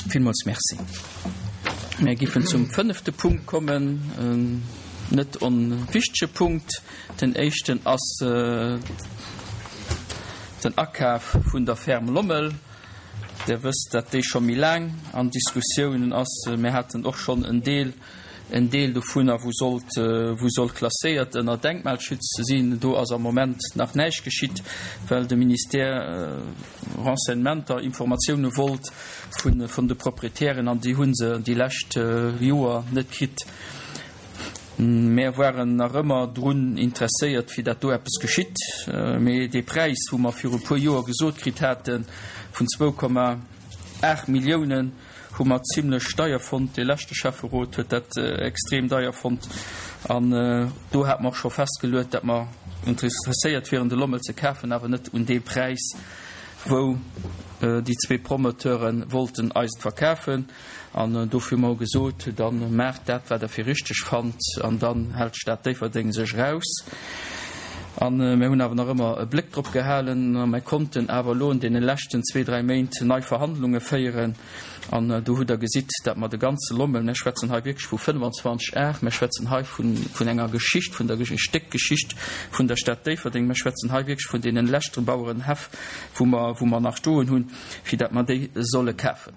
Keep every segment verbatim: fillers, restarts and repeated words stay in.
Villmools Merci. Mir giffen zum fënnefte Punkt kommen, en net onwichtege Punkt. Den éischten ass den Akaf vun der Ferme Lommel. Der wësst, dat déi scho méi laang an Diskussiounen ass. Mir haten och schonn en Deel, en Deel dovunner, wou sollt, wou sollt klasséiert ënner Denkmalschutz sinn. Do ass am Moment nach näischt geschitt, well de Ministère Renseignementer, Informatioune wollt vun, vun de Proprietären an déi hu se déi lescht Joer net kritt. Mär waren nach ëmmer drun interesséiert, fir dat do eppes geschitt. Mee dee Präis, wou mer viru e puer Joer gesot kritt hate vun zwou Komma aacht Milliounen, hu mer zimlech deier fonnt. Dee leschte Schäfferot huet dat extrem deier fonnt. An do hate mer och scho festgeluet, dat mer interesséiert wieren, de Lommel ze kafen, awer net un deem Präis, wou déi zwee Promoteure wollten eis et verkafen. An dofir hu mer gesot, da maacht dat, wat Der fir richteg fannt, an dann hält d'Stad Déifferdeng sech eraus. A mir hunn awer nach ëmmer e Bléck drop gehalen a mir konnten awer elo an deene leschten zwee, dräi Méint nei Verhandlunge féieren. An do hutt Der gesitt, datt mer de ganze Lommel, mir schwätzen hei wierklech vu fënnwanzwanzeg Ar, mir schwätzen hei vun, vun enger Geschicht, vun der e Stéck Geschicht vun der Stad Déifferdeng, mir schwätzen hei wierklech vun deene leschte Bauerenhäff, wou mer, wou mer nach stoen hunn, fir datt mer déi solle kafen.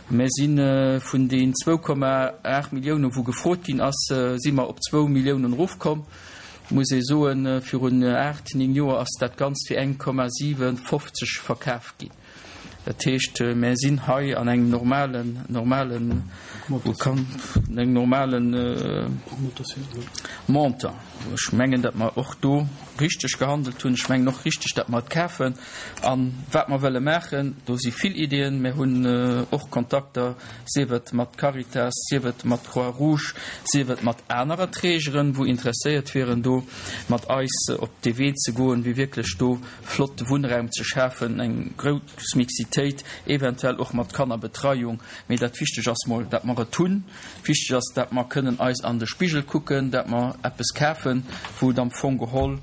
Mir si vun den zwou Komma aacht Milliounen, wou gefrot ginn ass, si mer op zwou Milliounen erofkomm. Muss ee soen, virun aacht, néng Joer ass dat Ganzt fir eng Komma siwenfofzeg verkaf ginn. Dat heescht, mir sinn hei an engem normalen, normalen, engem normalen Montant. Ech mengen, datt mer och do richteg gehandelt hunn. Ech mengen och richteg, datt mer et kafen. A wat mer wëlle maachen, do si vill Ideeën. Mir hunn och Kontakter, sief et mat Caritas, sief et mat Croix-Rouge, sief et mat anerer Trägeren, wou interesséiert wieren, do mat eis op dee Wee ze goen, fir wierklech do flotte Wunnraum ze schafen, eng grouss Mixitéit, eventuell och mat Kannerbetreiung. Mee dat Wichteg ass mol, dat mer et hunn. Wichteg ass, dat mer kënnen eis an de Spigel kucken, dat mer eppes kafen, wou et am Fong geholl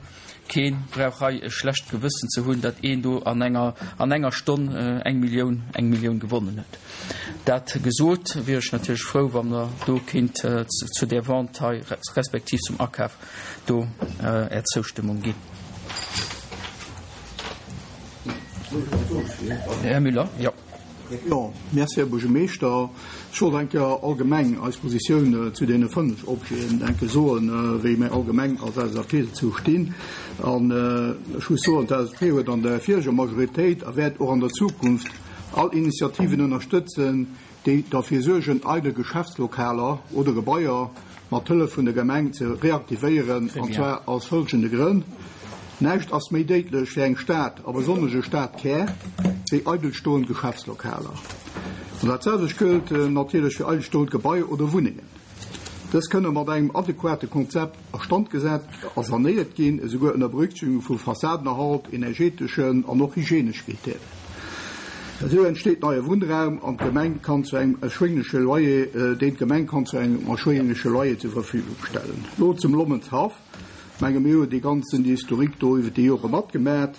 kee brauch hei e schlecht Gewëssen ze hunn, dat een do an enger, an enger Stonn eng Millioun, eng Millioun gewonnen huet. Dat gesot, wier ech natierlech frou, wann Der do kéint zu där Vente hei respektiv zum Akaf do Är Zoustëmmung ginn. Här Müller, jo. Jo, merci, Här Buergermeeschter. Ech wollt eng Kéier allgemeng eis Positioun zu deene fënnef Objeten eng Kéier soen, wéi mir allgemeng als L S A P dozou stinn. An ech muss soen, d'L S A P huet an der vireger Majoritéit a wäert och an der Zukunft all Initiativen ënnerstëtzen, déi derfir suergen, eidel Geschäftslokaler oder Gebaier mat Hëllef vun der Gemeng ze reaktivéieren, an zwar aus folgende Grënn: Näischt ass méi déidlech fir eng Stad, a besonnesch e Stadkär, wéi eidelstoend Geschäftslokaler. An dat selwecht gëllt natierlech fir eidelstoend Gebaier oder Wunnengen. Dës kënne mat engem adequate Konzept a Stand gesat a sanéiert ginn, esouguer ënner Berücksichtigung vu Fassadenerhalt, energeteschen an och hygienesche Krittären. Esou entsteet neie Wunnraum an d'Gemeng kann zu engem erschwéngleche Loyer, deen d'Gemeng kann zu engem erschwéngleche Loyer zur Verfügung stellen. Lo zum Lommelshaff. Menge mir hunn déi ganzen Historique do iwwer déi Jore matgemat.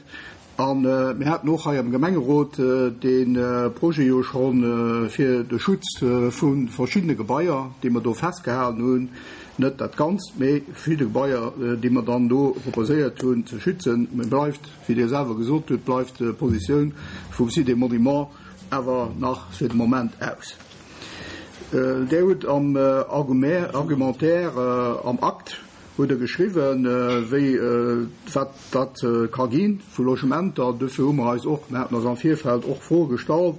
An mir haten och hei am Gemengerot dee Projet jo schonn fir de Schutz vu verschiddene Gebaier, déi mer do festgehalen hunn, net dat Ganzt, mee verschidde Gebaier, déi mer dann do proposéiert hunn ze schützen. Mee bleift, wéi Dir selwer gesot hutt, bleift d'Positioun vum Site des Monuments awer nach fir de Moment aus. Dir hutt am Argumentaire am Akt hutt Der geschriwwen, wéi wat dat ka gi vu Logementer. Dofir hu mer eis och, mir haten eis am Virfeld och Froe gestallt,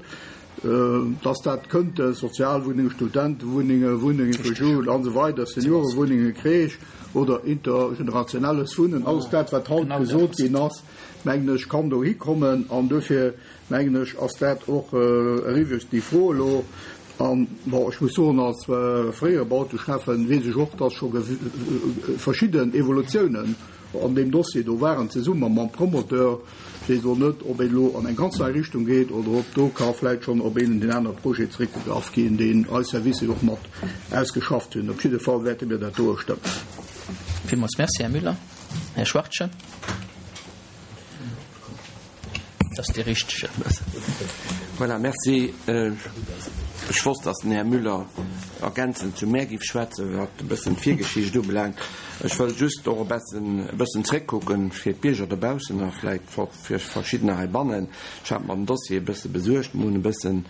dass dat kënnte Sozialwunnenge, Studentewunnenge, Wunnenge fir Jugend an esou weider, Seniorewunnenge, Crèche oder intergenerationelles Wunnen, alles dat, wat haut gesot ginn ass, mengen ech, kann dohi kommen. An dofir, mengen ech, ass dat och eriwwer, déi Fro elo. An, bon, ech muss soen, als fréiere Bauteschäffen weess ech och, dass scho verschidden Evolutiounen an deem Dossier do waren, zesumme mam Promoteur. Ech weess elo net, ob een elo an eng ganz nei Richtung geet oder ob do ka vläicht schonn op een deen anere Projet zeréckgegraff ginn, deen eis Servicer och mat ausgeschafft hunn. Op jidde Fall wäerte mir dat doe stëmmen. Villmools merci, Här Müller. Här Schwartchen. Dat ass dee richtegen. Voilà, merci. Ech wosst, dass den Här Müller ergänzend zu mär géif schwätzen, wat e bëssen d'Virgeschicht ubelaangt. Ech wëll just och e bessen, e bëssen zréckkucken fir d'Bierger dobaussen a vläicht och fir Verschiddener heibannen. Ech hat mer den Dossier e bësse besuergt, mer hunn e bëssen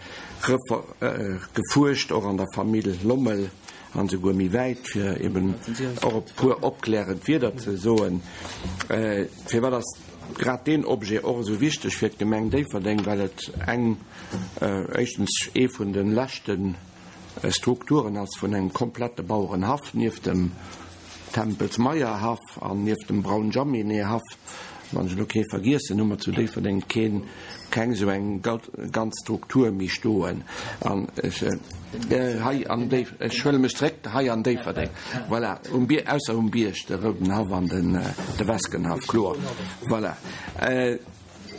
gefuerscht, och an der Famill Lommel an esouguer méi wäit, fir eben och e puer opklärend Wierder ze soen. Firwat ass grad deen Objet och esou wichteg fir d'Gemeng Déifferdeng, well et eng, éischtens ee vun de leschte Strukturen ass vun engem komplette Bauerenhaff, nieft dem Tempels-Meyer-Haff an nieft dem Braun-Jaminet-Haff, wann ech elo kee vergiessen, hu mer zu Déifferdeng keen, keng esou eng ganz Struktur méi stoen. An ech, hei an Déif, ech huele mech zréck, hei an Déifferdeng, voilà, um Bier, ausser um Bierg, de Roudenhaff an den, de Weskenhaff, kloer, voilà.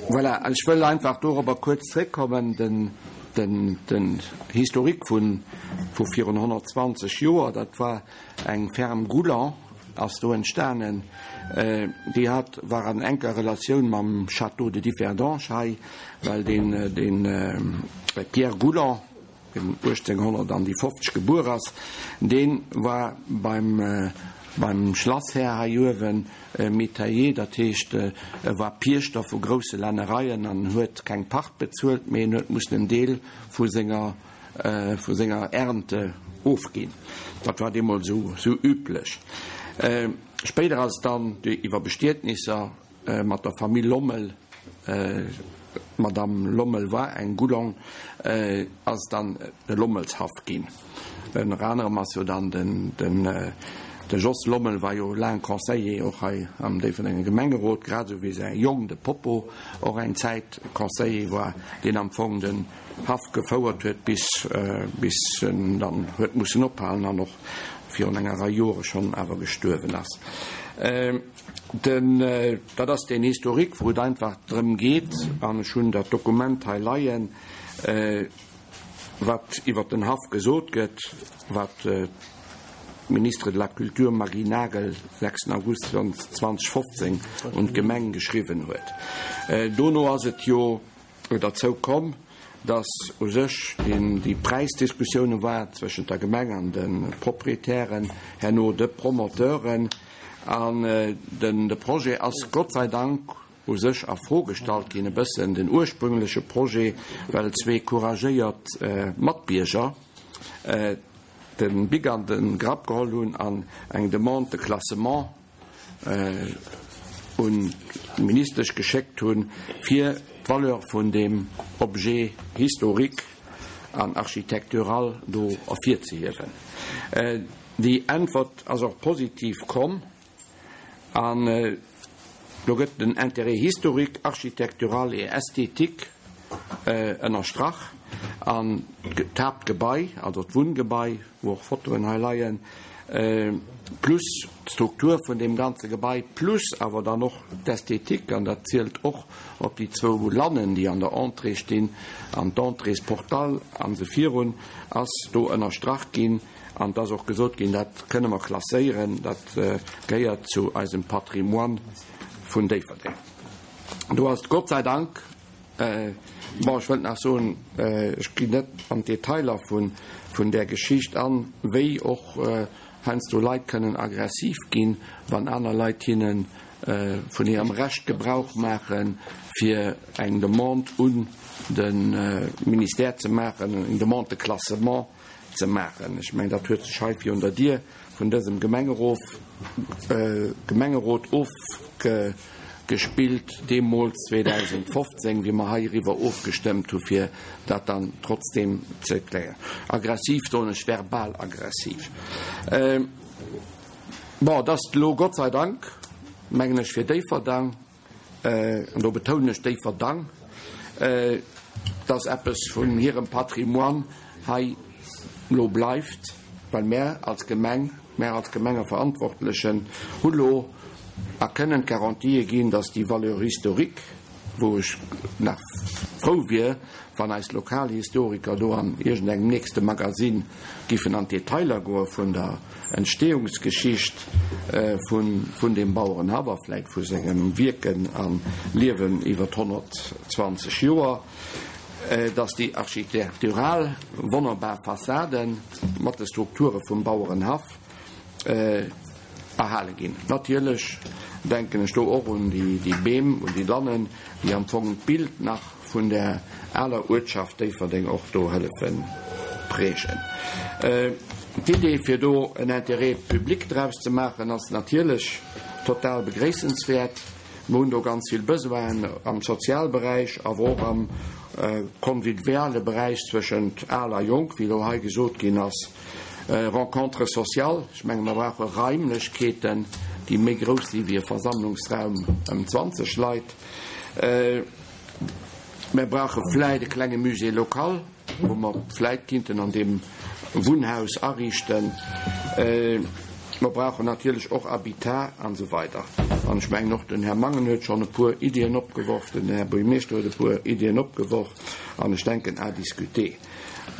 Voilà, ech wëll einfach dorobber kuerz zréckkommen, den, den, den Historique vun, vu virun honnertzwanzeg Joer, dat war eng Ferme Gouland ass do entstanen, déi hat, war an enker Relatioun mam Château de Differdange hei, well deen, deen Pierre Gouland, deen uechtzénghonnert an déi fofzeg gebuer ass, dee war beim, beim Schlasshär hei uewen Métayer, dat heescht, e war Piechter vu grousse Lännereien an huet keng Pacht bezuelt, mee en huet mussen en Deel vu senger, vu senger Ernte ofginn. Dat war deemools esou, esou üblech. Spéider ass et dann iwwer Bestietnisser mat der Famill Lommel, d'Madame Lommel war eng Goulon, ass et dann de Lommelshaff ginn. Ënner anerem ass jo dann den, den, de Jos Lommel war jo laang Conseiller och hei am Déifferdenger Gemengerot, grad esou wéi säi Jong, de Popo, och eng Zäit Conseiller war, deen am Fong den Haff gefouert huet, bis, bis en dann huet mussen ophalen an och virun enger Rei Jore schonn awer gestuerwen ass. Den, dat ass deen Historique, wou et einfach drëm geet, an ech hunn dat Dokument hei leien, wat iwwert den Haff gesot gëtt, wat d'Ministre de la Culture Marie Nagel sechsten August zweitausendfofzéng un d'Gemeng geschriwwen huet. Dono ass et jo derzou komm, dass u sech déi Präisdiskussioune war zwëschent der Gemeng an de Proprietären, herno de Promoteuren, an den de Projet ass Gott sei Dank u sech a Fro gestallt ginn, e bëssen den ursprüngleche Projet, well zwee couragéiert Matbierger de Bic an de Grapp geholl hunn an eng Demande de classement un d'Ministesch geschéckt hunn, fir d'Valeur vun deem Objet historique an architectural do ervirzehiewen. Déi Äntwert ass och positiv komm an do gëtt den Intérêt historique, architectural et esthétique ënnerstrach an d'Haaptgebai, also d'Wunngebai, wou och Fotoen hei leien, plus d'Struktur vun deem ganze Gebai, plus awer dann och d'Ästhetik, an dat zielt och op déi zwou Lannen, déi an der Entrée stinn, an d'Entréesportal an esou virun, ass do ënnerstrach ginn. An et ass och gesot ginn, dat kënne mer klasséieren, dat gehéiert zu eisem Patrimoine vun Déifferdeng. Do ass et Gott sei Dank, bon, ech wëllt nach soen, ech ginn net an d'Detailer vun där Geschicht an, wéi och heiansdo Leit kënnen aggressiv ginn, wann aner Leit hinne vun hirem Recht Gebrauch maachen, fir eng Demande un de Ministère ze maachen, eng Demande de classement ze maachen. Ech mengen, dat huet sech hei virun der Dier vun dësem Gemengerof, Gemengerot ofgespillt, deemools zweedausendfofzéng, wéi mer heiriwwer ofgestëmmt hu fir dat dann trotzdem ze klären. Aggressiv soen ech, verbal aggressiv. Bon, et ass elo Gott sei Dank, mengen ech, fir Déifferdang, an do betounen ech Déifferdang, dass eppes vun hirem Patrimoine hei elo bleift, well mär als Gemeng, mär als Gemengeverantwortlechen hu lo a kënnen d'Garantië ginn, dass déi Valeur historique, wou ech nach frou wier, wann eis Lokalhistoriker do an iergendengem nächste Magasinn giffen an d'Detailer goe vun der Entstehungsgeschicht vun deem Bauerenhaff a vläicht vu sengem Wierken a Liewen iwwer honnertzwanzeg Joer, dass déi architektural wonnerbar Fassade mat de Strukture vum Bauerenhaff erhale ginn. Natierlech denken ech do och un déi Beem, un déi Lannen, déi am Fong d'Bild nach vun der aler Uertschaft Déifferdeng och do hëllefe prägen. D'Idee, fir do en Intérêt public draus ze maachen, ass natierlech total begréissenswäert. Mer hunn do ganz vill Besoinen am Sozialberäich, awer och am conviviale Beräich zwëschent Al a Jonk, wéi elo hei gesot ginn ass, Rencontres sociales. Ech menge mer brauche Raimlechkeeten, déi méi grouss si wéi e Versammlungsraum ëm zwanzeg Leit. Mer brauche vläit e klenge Musée local, wou mer vläit kinnten an deem Wunnhaus ariichten. Mer brauchen natierlech och Habitat an esou weider. An ech mengen och den Här Mangen huet schonn e puer Iddien opgeworf, den Här Buergermeeschter huet e puer Iddien opgeworf an ech denken à discuter.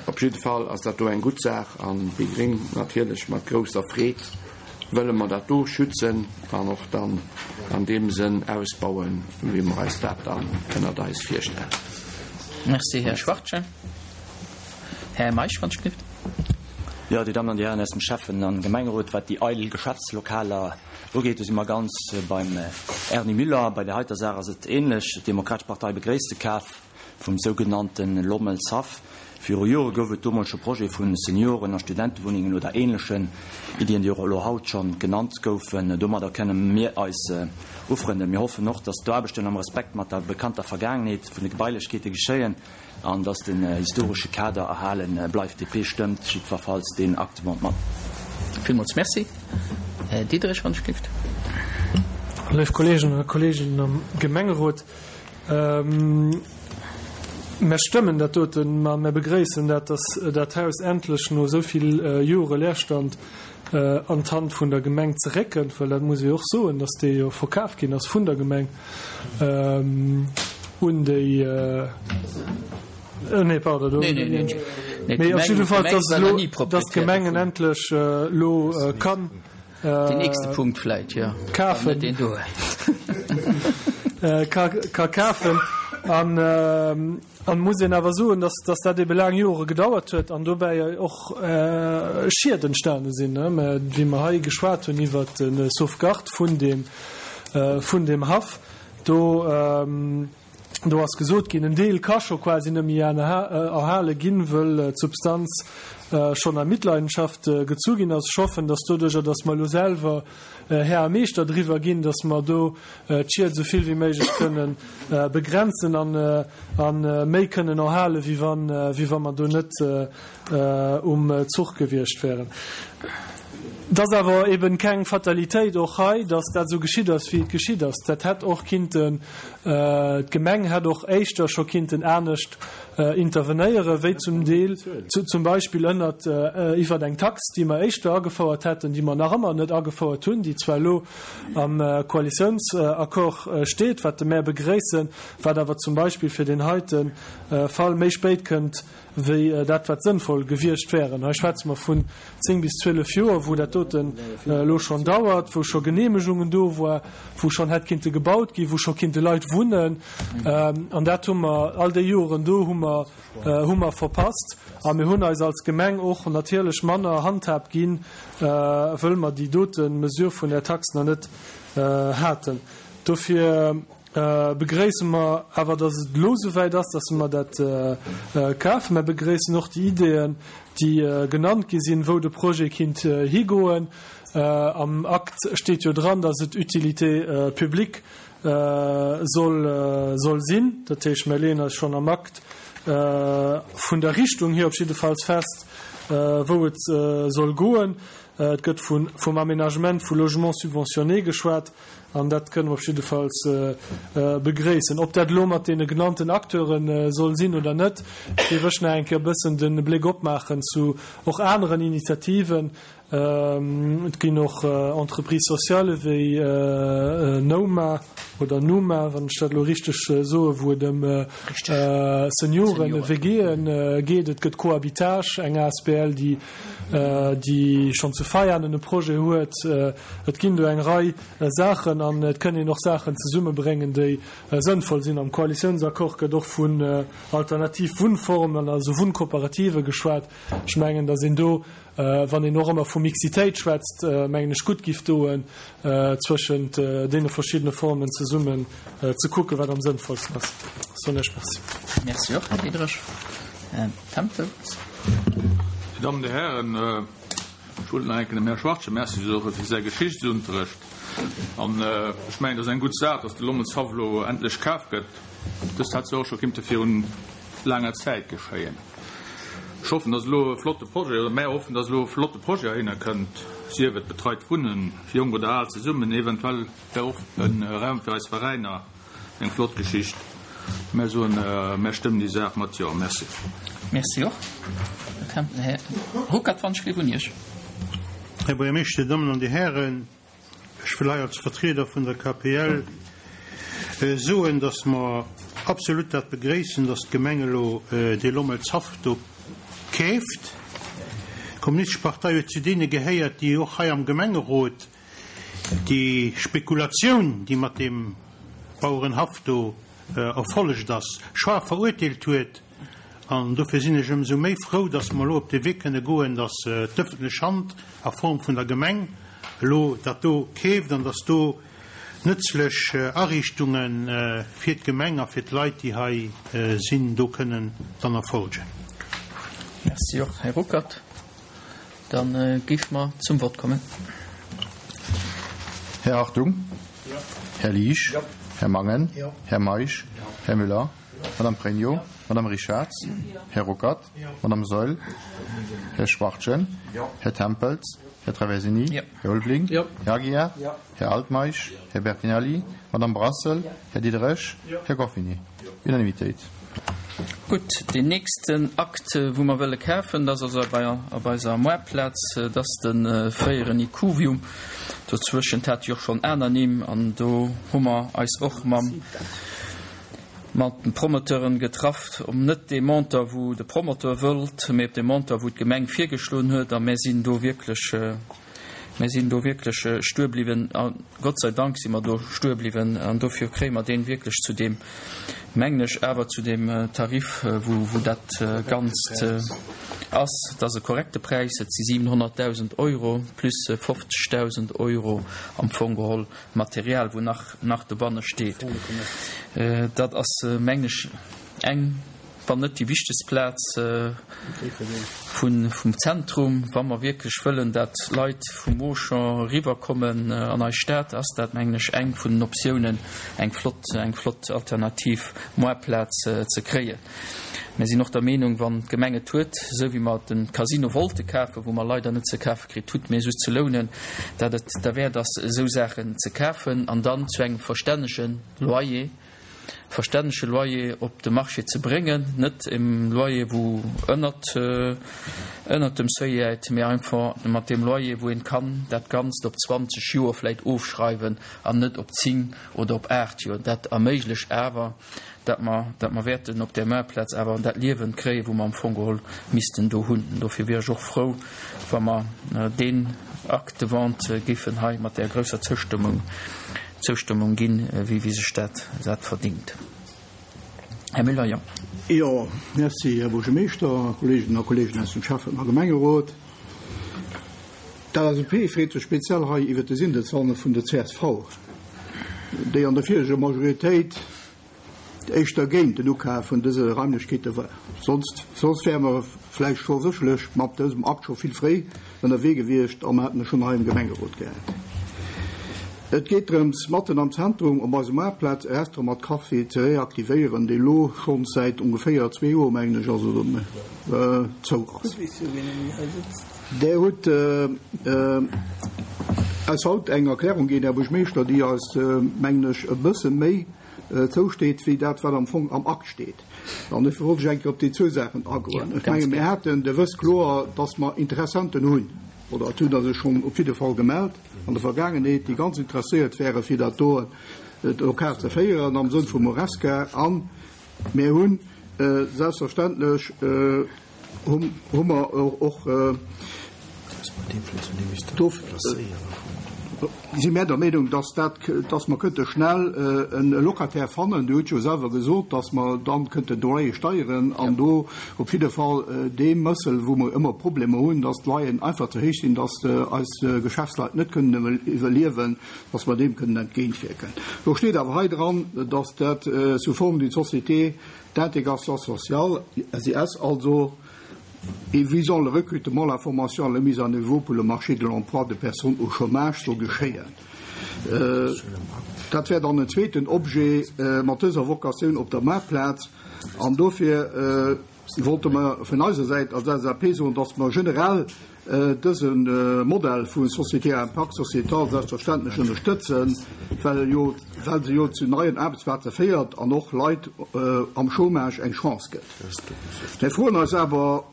Op jidde Fall ass dat do eng gutt Saach an déi Gréng natierlech mat grousser Freed wëlle mer dat do schützen an och dann an deem Sënn ausbauen, wéi mer eis dat dann ënnert eis virstellen. Merci, Här Schwachtgen. Här Meisch, wann ech gelift. Jo, Dir Dammen an Dir Hären aus dem Schäffen an Gemengerot, wat déi eidel Geschäftslokaler ugeet, do si mer ganz beim Erny Müller. Bei där heiter Saach ass et ähnlech. D'Demokratesch Partei begréisst de Kaf vum sougenannte Lommelshaff. Viru Jore gouf et do mol scho Projete vu Senioren a Studentewunnengen oder ähnlechen Iddien, déi och elo haut scho genannt goufen. Domadder kënne mir eis ufrënden. Mir hoffen och, dass d'Aarbechten am Respekt mat der bekannter Vergaangenheet vun de Gebailechkeete geschéien an dass den historesche Kader erhale bleift. D P stëmmt jiddwerfalls deen Acte mat. Villmools Merci. Här Diderich, wann ech gelift. Léif Kolleegen a Kolleeginnen am Gemengerot, mer stëmmen dat doten, ma mer begréissen dat, dass dat Haus endlech no esou vill Jore Leerstand an d'Hand vun der Gemeng zeréckkënnt, well dat muss ee och soen, dass dee jo verkaf ginn ass vun der Gemeng un déi, nee, pardon, do, mee op jidde Fall, dass elo, dass d'Gemengen endlech elo kann Den nächste Punkt vläit, jo. Kafen. Net deen do. Ka, ka kafen. An, an muss een awer soen, dass, dass dat ebe laang Jore gedauert huet an dobäi och Schied entstane sinn, ne? Mä wéi mer hei geschwat hunn iwwert de Sauvegarde vun deem, vun deem Haff, do, do ass gesot ginn, en Deel ka scho quasi net méi erhale ginn, wëll d'Substanz schonn a Mitleidenschaft gezu ginn ass. Ech hoffen, dass doduerjer, dass mer elo selwer Här a Meeschter driwwer ginn, dass mer do d'Schied esou vill wéi méiglech kënnen begrenzen an méi kënnen erhalen, wéi wann, wéi wa mer do net um Zuch gewiescht wären. Et ass awer eben keng Fatalitéit och hei, dass dat esou geschitt ass, wéi et geschitt ass. Dat hätt och kinnten, d'Gemeng hätt och éischter scho kinnten anescht intervenéieren, wéi zum Deel zum Beispill ënnert iwwert eng Tax, déi mer éischter agefouert hätten, déi mer nach ëmmer net agefouert hunn, déi zwar elo am Koalitiounsaccord steet, wat de mär begréissen, wat awer zum Beispill fir deen heite Fall méi spéit kënnt wéi dat, wat sënnvoll gewiescht wären. Hei schwätze mer vun zéng bis zwielef Joer, wou dat doten elo schonn dauert, wou scho Genehmegungen do war, wou schonn hätt kinnte gebaut ginn, wou scho kinnte Leit wunnen. An dat hu mer all déi Joren do hu mer, hu mer verpasst. A mir hunn eis als Gemeng och natierlech manner Handhab ginn, wëll mer déi dote Mesure vun der Tax nach net haten. Dofir begréisse mer awer, dass et elo souwäit ass, dass mer dat kafen. Mer begréissen och déi Ideeën, déi genannt gi sinn, wou de Projet kinnt higoen. Am Akt steet jo dran, dass et Utilité publique soll, soll sinn. Dat heescht, mer leeën eis schonn am Akt vun der Richtung hier op jiddefalls fest, wou et soll goen. Et gëtt vun, vum Aménagement vu Logements subventionnés geschwat, an dat kënne mer op jiddefalls begréissen. Ob dat elo mat deene genannten Acteure soll sinn oder net, géif ech nach eng Kéier e bëssen de Bléck opmaachen zu och aneren Initiativen. Et ginn och Entreprises sociales wéi Noma oder Numa, wann ech dat elo richteg soen, wou et ëm Senioren, W G'en geet. Et gëtt Cohabitage, eng A S B L, déi, déi schonn zu Veianen e Projet huet. Et ginn do eng Rei Saachen. maachen an et kënn een och Saachen zesummebréngen, déi sënnvoll sinn. Am Koalitiounsaccord gëtt och vun alternativ Wunnformen, also Wunnkooperative geschwat. Ech mengen, datt een do, wann een och ëmmer vu Mixitéit schwätzt, mengen ech, gutt giff doen, zwëschent deene verschiddene Formen zesummen ze kucken, wat am sënnvollsten ass. Soen ech Merci. Merci och, Här Diderich. Här Tempels. Dir Dammen, Dir Hären, ech wollt nach eng Kéier dem Här Schwachtgen Merci soe fir säi Geschichtsunterrecht. An ech mengen, et ass eng gutt Saach, dass de Lommelshaff elo endlech kaf gëtt. Dëst hätt jo och scho kinnte virun laanger Zäit geschéien. Ech hoffen, dass elo e flotte Projet, oder mär hoffen, dass elo e flotte Projet heihinner kënnt, sief et betreit Wunnen, jonk oder al zesummen, eventuell wär och e Raum fir eis Veräiner eng flott Geschicht. Mär soen, mär stëmmen déi Saach mat Jo. Merci. Merci och. Här Ruckert, wann ech gleef un Iech. Här Buergermeeschter, Dir Dammen an Dir Hären, ech wëll hei als Vertrieder vun der K P L soen, dass mer absolut dat begréissen, dass d'Gemeng elo dee Lommelshaff do keeft. D'Kommunistesch Partei huet zu deene gehéiert, déi och hei am Gemengerot déi Spekulatioun, déi mat deem Bauerenhaff do erfollegt ass, schaarf verurteelt huet. An dofir sinn ech ëmsou méi frou, dass mer elo op de Wee kënne goen, dass d'ëffentlech Hand a Form vun der Gemeng elo dat do keeft an dass do nëtzlech Ariichtunge fir d'Gemeng a fir d'Leit, déi hei sinn, do kënnen dann erfolgen. Merci och, Här Ruckert. Da géife mer zum Vott kommen. Här Hartung? Här Liesch? Här Mangen? Här Meisch? Här Müller? Madame Pregno? Madame Richarz? Här Ruckert? Madame Saeul? Här Schwachtgen? Här Tempels? Här Traversini? Här Ulveling? Här Aguiar? Här Altmeisch? Här Bertinelli? Madame Brassel? Här Diderich? Här Goffini? Unanimitéit. Gutt, deen nächsten Akt, wou mer wëlle kafen, dat ass also bei, op eiser Moartplaz, dat ass de fréieren Ikuvium. Dozwëschent hat jo och schonn aner Nimm an do hu mer eis och mam mat den Promoteuren getraff, um net dee Montant, wou de Promoteur wëllt, mee op de Montant, wou d'Gemeng virgeschloen huet, a mär sinn do wierklech, mär sinn do wierklech stuer bliwwen a Gott sei Dank si mer do stuer bliwwen an dofir kréie mer deen wierklech zu deem, mengen ech, awer zu deem Tarif, wou, wou dat Ganzt ass. Et ass e korrekte Präis, et si siwenhonnertdausend Euro plus fofzegdausend Euro am Fong geholl Material, wou nach, nach dobanne steet. Dat ass, mengen ech, eng, wann net déi wichtegst Plaz vun, vum Zentrum. Wa mer wierklech wëllen, dat Leit vum Auchan eriwwerkommen an eis Stad, ass dat, mengen ech, eng vun den Optiounen, eng flott, eng flott alternativ Moartplaz ze kréien. Mir sinn och der Meenung, wann d'Gemeng et huet, esou wéi mer de Casino wollte kafen, wou mer leider net ze kafe kritt hutt, mee just ze lounen, dat et derwäert ass, esou Saachen ze kafen an dann zu engem verstännege Loyer, verstännege Loyer op de Marché ze bréngen, net em Loyer, wou ënnert, ënnert dem Seuil läit, mee einfach mat deem Loyer, wou een kann dat Ganzt op zwanzeg Joer vläicht ofschreiwen an net op zéng oder op aacht Joer. Dat erméiglecht awer, dat mer, dat mer wäerten op där Maartplaz awer dat Liewen kréien, wou mer am Fong geholl missten do hunn. Dofir wier ech och frou, wa mer deen Acte de vente géifen hei mat där grousser Zoustëmmung, Zoustëmmung ginn, wéi, wéi sech dat, dat verdingt. Här Müller, jo. Jo, merci, Här Buergermeeschter, Kolleeginnen a Kolleegen aus dem Schäffen a Gemengerot. D'L S A P freet sech speziell hei iwwer de Sindelzanne vun der C S V, déi an der vireger Majoritéit éischter géint den Ukaf vun dëse Raimlechkeete war. Sonst, soss wäre mer vläicht scho sécherlech mat dësem Akt scho vill fréi ënnerwee gewiescht a mer hätten e schonn hei am Gemengerot gehat. Et geet drëms, matten am Zentrum op eiser Maartplaz e Restaurant mat Café ze reaktivéieren, dee lo schonn säit ongeféier zwee Joer, mengen ech, also zou ass. Där hutt eis haut eng Erklärung ginn, Här Buergermeeschter, déi eis, mengen ech, e bësse méi zousteet wéi dat, wat am Fong am Akt steet. An ech wollt ech eng Kéier op déi zwou Saachen agoen. Ech menge mir haten, Dir wësst kloer, dass mer Interessenten hunn, oder et hunn der sech schonn op jidde Fall gemellt an der Vergaangenheet, déi ganz interesséiert wäre fir dat do Lokal ze féieren am Sënn vum Horesca. An mir hunn selbstverständlech hu mer och Si mär der Meenung, dass dat, dass mer kënnte schnell en Locataire fannen. Dir hutt jo selwer gesot, dass mer dann kënnten d'Loyere steigeren an do op jidde Fall dee Mëssel, wou mer ëmmer Problemer hunn, dass d'Loyeren einfach ze héich sinn, dass eis Geschäftsleit net kënnen iwwerliewen, dass mer deem kënnen entgéintwierken. Do steet awer hei dran, dass dat sous forme d'une société d'intégration sociale, S I S, also et visant le recrutement, la formation, la mise à niveau pour le marché de l'emploi de personnes au chômage soll geschéien. Dat wär dann en zweeten Objet mat dëser Vocatioun op der Maartplaz. An dofir wollte mer vun eiser Säit als L S A P soen, dass mer generell dëse Modell vu Société à impact sociétal selbstverständlech ënnerstëtzen, well jo, well se jo zu neien Aarbechtsplaze féiert an och Leit am Chômage eng Chance gëtt. Mir froen eis awer,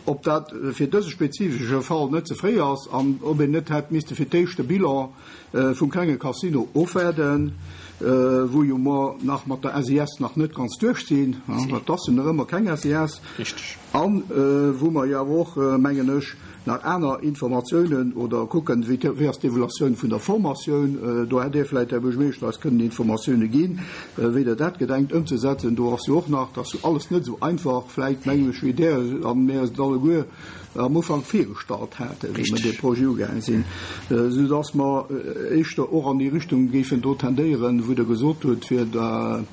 ob dat fir dëse spezifesche Fall net ze fréi ass an ob een net hätt misste fir d'éischt de Bilan vum klenge Casino ofwaarden, wou jo mer nach mat der S I S nach net ganz duerch sinn, dat ass jo nach ëmmer keng S I S. Richtig. An wou mer jo awer och, mengen ech, nach aner Informatiounen oder kucken, wéi wéi ass d'Evaluatioun vun der Formatioun, do hätt Dir vläicht, Här Buergermeeschter, eis kënnen Informatioune ginn, wéi Der dat gedenkt ëmzesetzen. Do ass jo och nach, dat ass jo alles net esou einfach, vläicht mengen ech, wéi Der an mir eis et alleguer am Ufank virgestallt haten, wéi mer dee Projet ugaange sinn, soudass mer éischter och an déi Richtung géifen do tendéieren, wou Der gesot hutt, fir da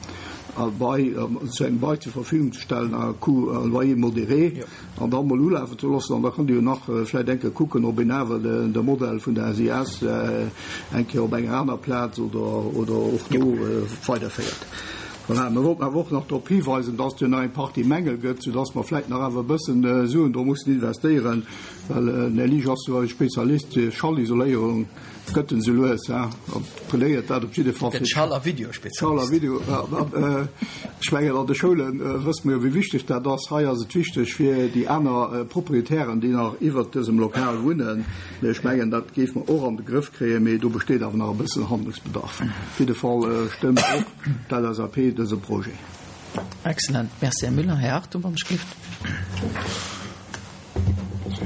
Bail, zu engem Bail zur Verfügung ze stellen, à coût, à loyer modéré, an dann mol ulafen ze loossen. An da kann Dir jo nach vläicht eng Kéier kucken, ob een awer de, de Modell vun der S I S eng Kéier op enger aner Plaz oder, oder och do weiderféiert. Voilà, mir wollten awer och nach drop hiweisen, dass et jo nach eng Partie Mängel gëtt, sodass mer vläicht nach awer e bëssen Suen do mussen investéieren, well den Här Liesch ass jo e Spezialist fir Schallisoléierung, gëtt en sou lues, hein, plädéiert dat op jidde Fall Den fir Schall- a Videospezialist. Schall- a Video, ja, ja, ech mengen, an de Schoulen wësse mer jo, wéi wichteg dat ass. Hei ass et wichteg fir déi aner Proprietären, déi nach iwwert dësem Lokal wunnen. Mee ech mengen, dat géif mer och an de Grëff kréien, mee do besteet awer nach e bëssen Handlungsbedarf. Op jidde Fall stëmmt och d'L S A P dëse Projet. Excellent. Merci, Här Müller. Här Hartung, wann ech gift.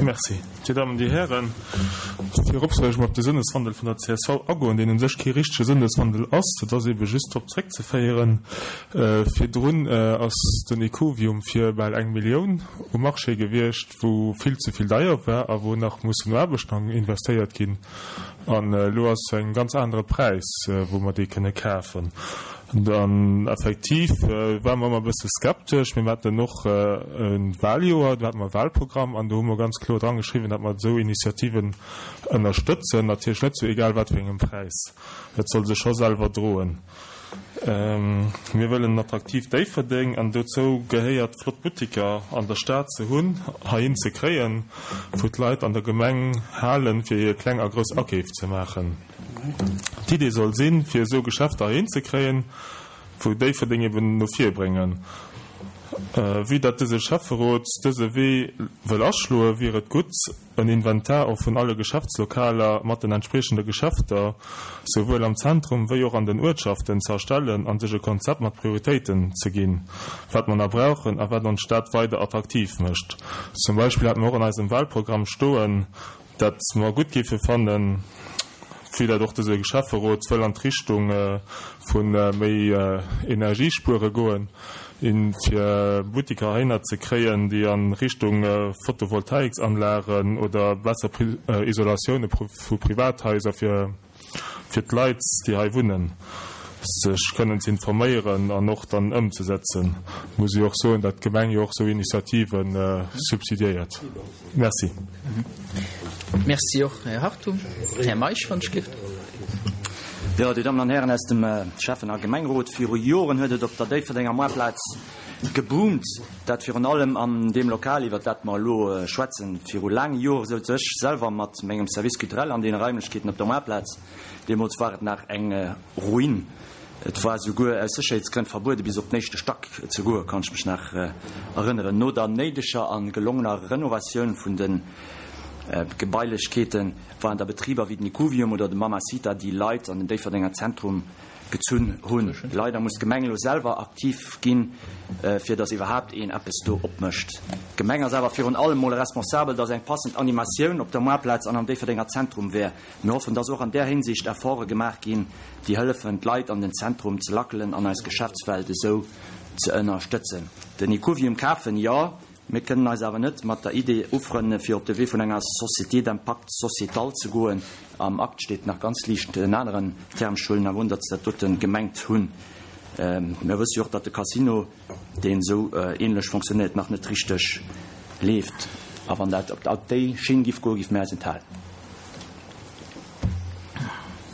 Merci. Dir Damen, Dir Hären, virop soll ech mol op de Sinneswandel vun der C S V agoen, deen un sech kee richtege Sinneswandel ass. Dat ass ebe just drop zréckzeféieren. Virdrun ass den Ecovium fir bal eng Millioun um Marché gewiescht, wou vill ze vill deier war a wou nach mussen Aarbechten investéiert ginn. An elo ass en ganz anere Präis, wou mer dee kënne kafen. Dann effektiv war mer ëmmer e bësse skeptesch. Mir haten och e Wahljoer, do haten mer e Wahlprogramm an do hu mer ganz kloer dran geschriwwen, datt mer esou Initiativen ënnerstëtzen. Natierlech net zu egal wat fir engem Präis. Et soll sech scho selwer droen. Mir wëllen en attraktiv Déifferdeng an dozou gehéiert flott Butiker an der Stad ze hunn, heihin ze kréien, wou d'Leit an der Gemeng halen, fir hir kleng a grouss Akeef ze maachen. D'Idee soll sinn, fir esou Geschäfter heihin ze kréien, wou Déifferdeng eben no vir bréngen. Vue datt dëse Schäfferot dëse Wee wëll aschloen, wier et gutt, en Inventar och vun alle Geschäftslokaler mat den entspriechende Geschäfter, souwuel am Zentrum wéi och an den Uertschaften ze erstellen an sech e Konzept mat Prioritéiten ze ginn, wat mer nach brauchen a wat ons Stad weider attraktiv mécht. Zum Beispill hat mer och an eisem Wahlprogramm stoen, dat mer gutt géife fannen, wéi dat och dëse Schäfferot wëll an d'Richtung vun méi Energiespuere goen, in fir Butiker heihinner ze kréien, déi an Richtung Photovoltaiksanlagen oder besser Isolatioune vu Privathaiser fir, fir d'Leit, déi hei wunnen, sech kënnen ze informéieren an och dann ëmzesetzen. Muss ech och soen, datt d'Gemeng jo och sou Initiativen subsidiéiert. Merci. Merci och, Här Hartung. Här Meisch, wann ech gift. Jo, Dir Dammen an Hären aus dem Schäffen- a Gemengerot, viru Joren huet et op der Déifferdenger Moartplaz geboomt, dat virun allem an deem Lokal, iwwer dat mer elo schwätzen. Viru laange Jore souz ech selwer mat mengem Service culturel an deene Raimlechkeeten op der Moartplaz. Deemools war et nach eng Ruin. Et war souguer aus Sécherheetsgrënn verbuede bis op den éischte Stack ze goen, kann ech mech nach erënneren. No der néideger a gelongener Renovatioun vun de Gebailechkeeten waren da Betriber wéi den Ecovium oder de Mamacita, déi Leit an den Déifferdenger Zentrum gezunn hunn. Leider muss d'Gemeng elo selwer aktiv ginn, fir dass iwwerhaapt een eppes do opmécht. D'Gemeng ass awer virun allem mol responsabel, dass eng passend Animatioun op der Moartplaz an am Déifferdenger Zentrum wär. Mir hoffen, dass och an där Hinsicht Efforte gemaach ginn, déi hëllefen, d'Leit an den Zentrum ze lackelen an eis Geschäftswelt esou ze ënnerstëtzen. Den Ecovium kafen, jo. Mir kënnen eis awer net mat der Idee ufrënne fir op de Wee vun enger Société d'impact sociétal ze goen. Am Akt steet nach ganz liicht en aneren Term, ech huelen awer un, datt se dat dote gemengt hunn. Mir wësse jo och, datt de Casino, deen esou ähnlech fonctionnéiert, nach net richteg leeft. A wann dat op déi Schinn giff goen, giff mir eis enthalen.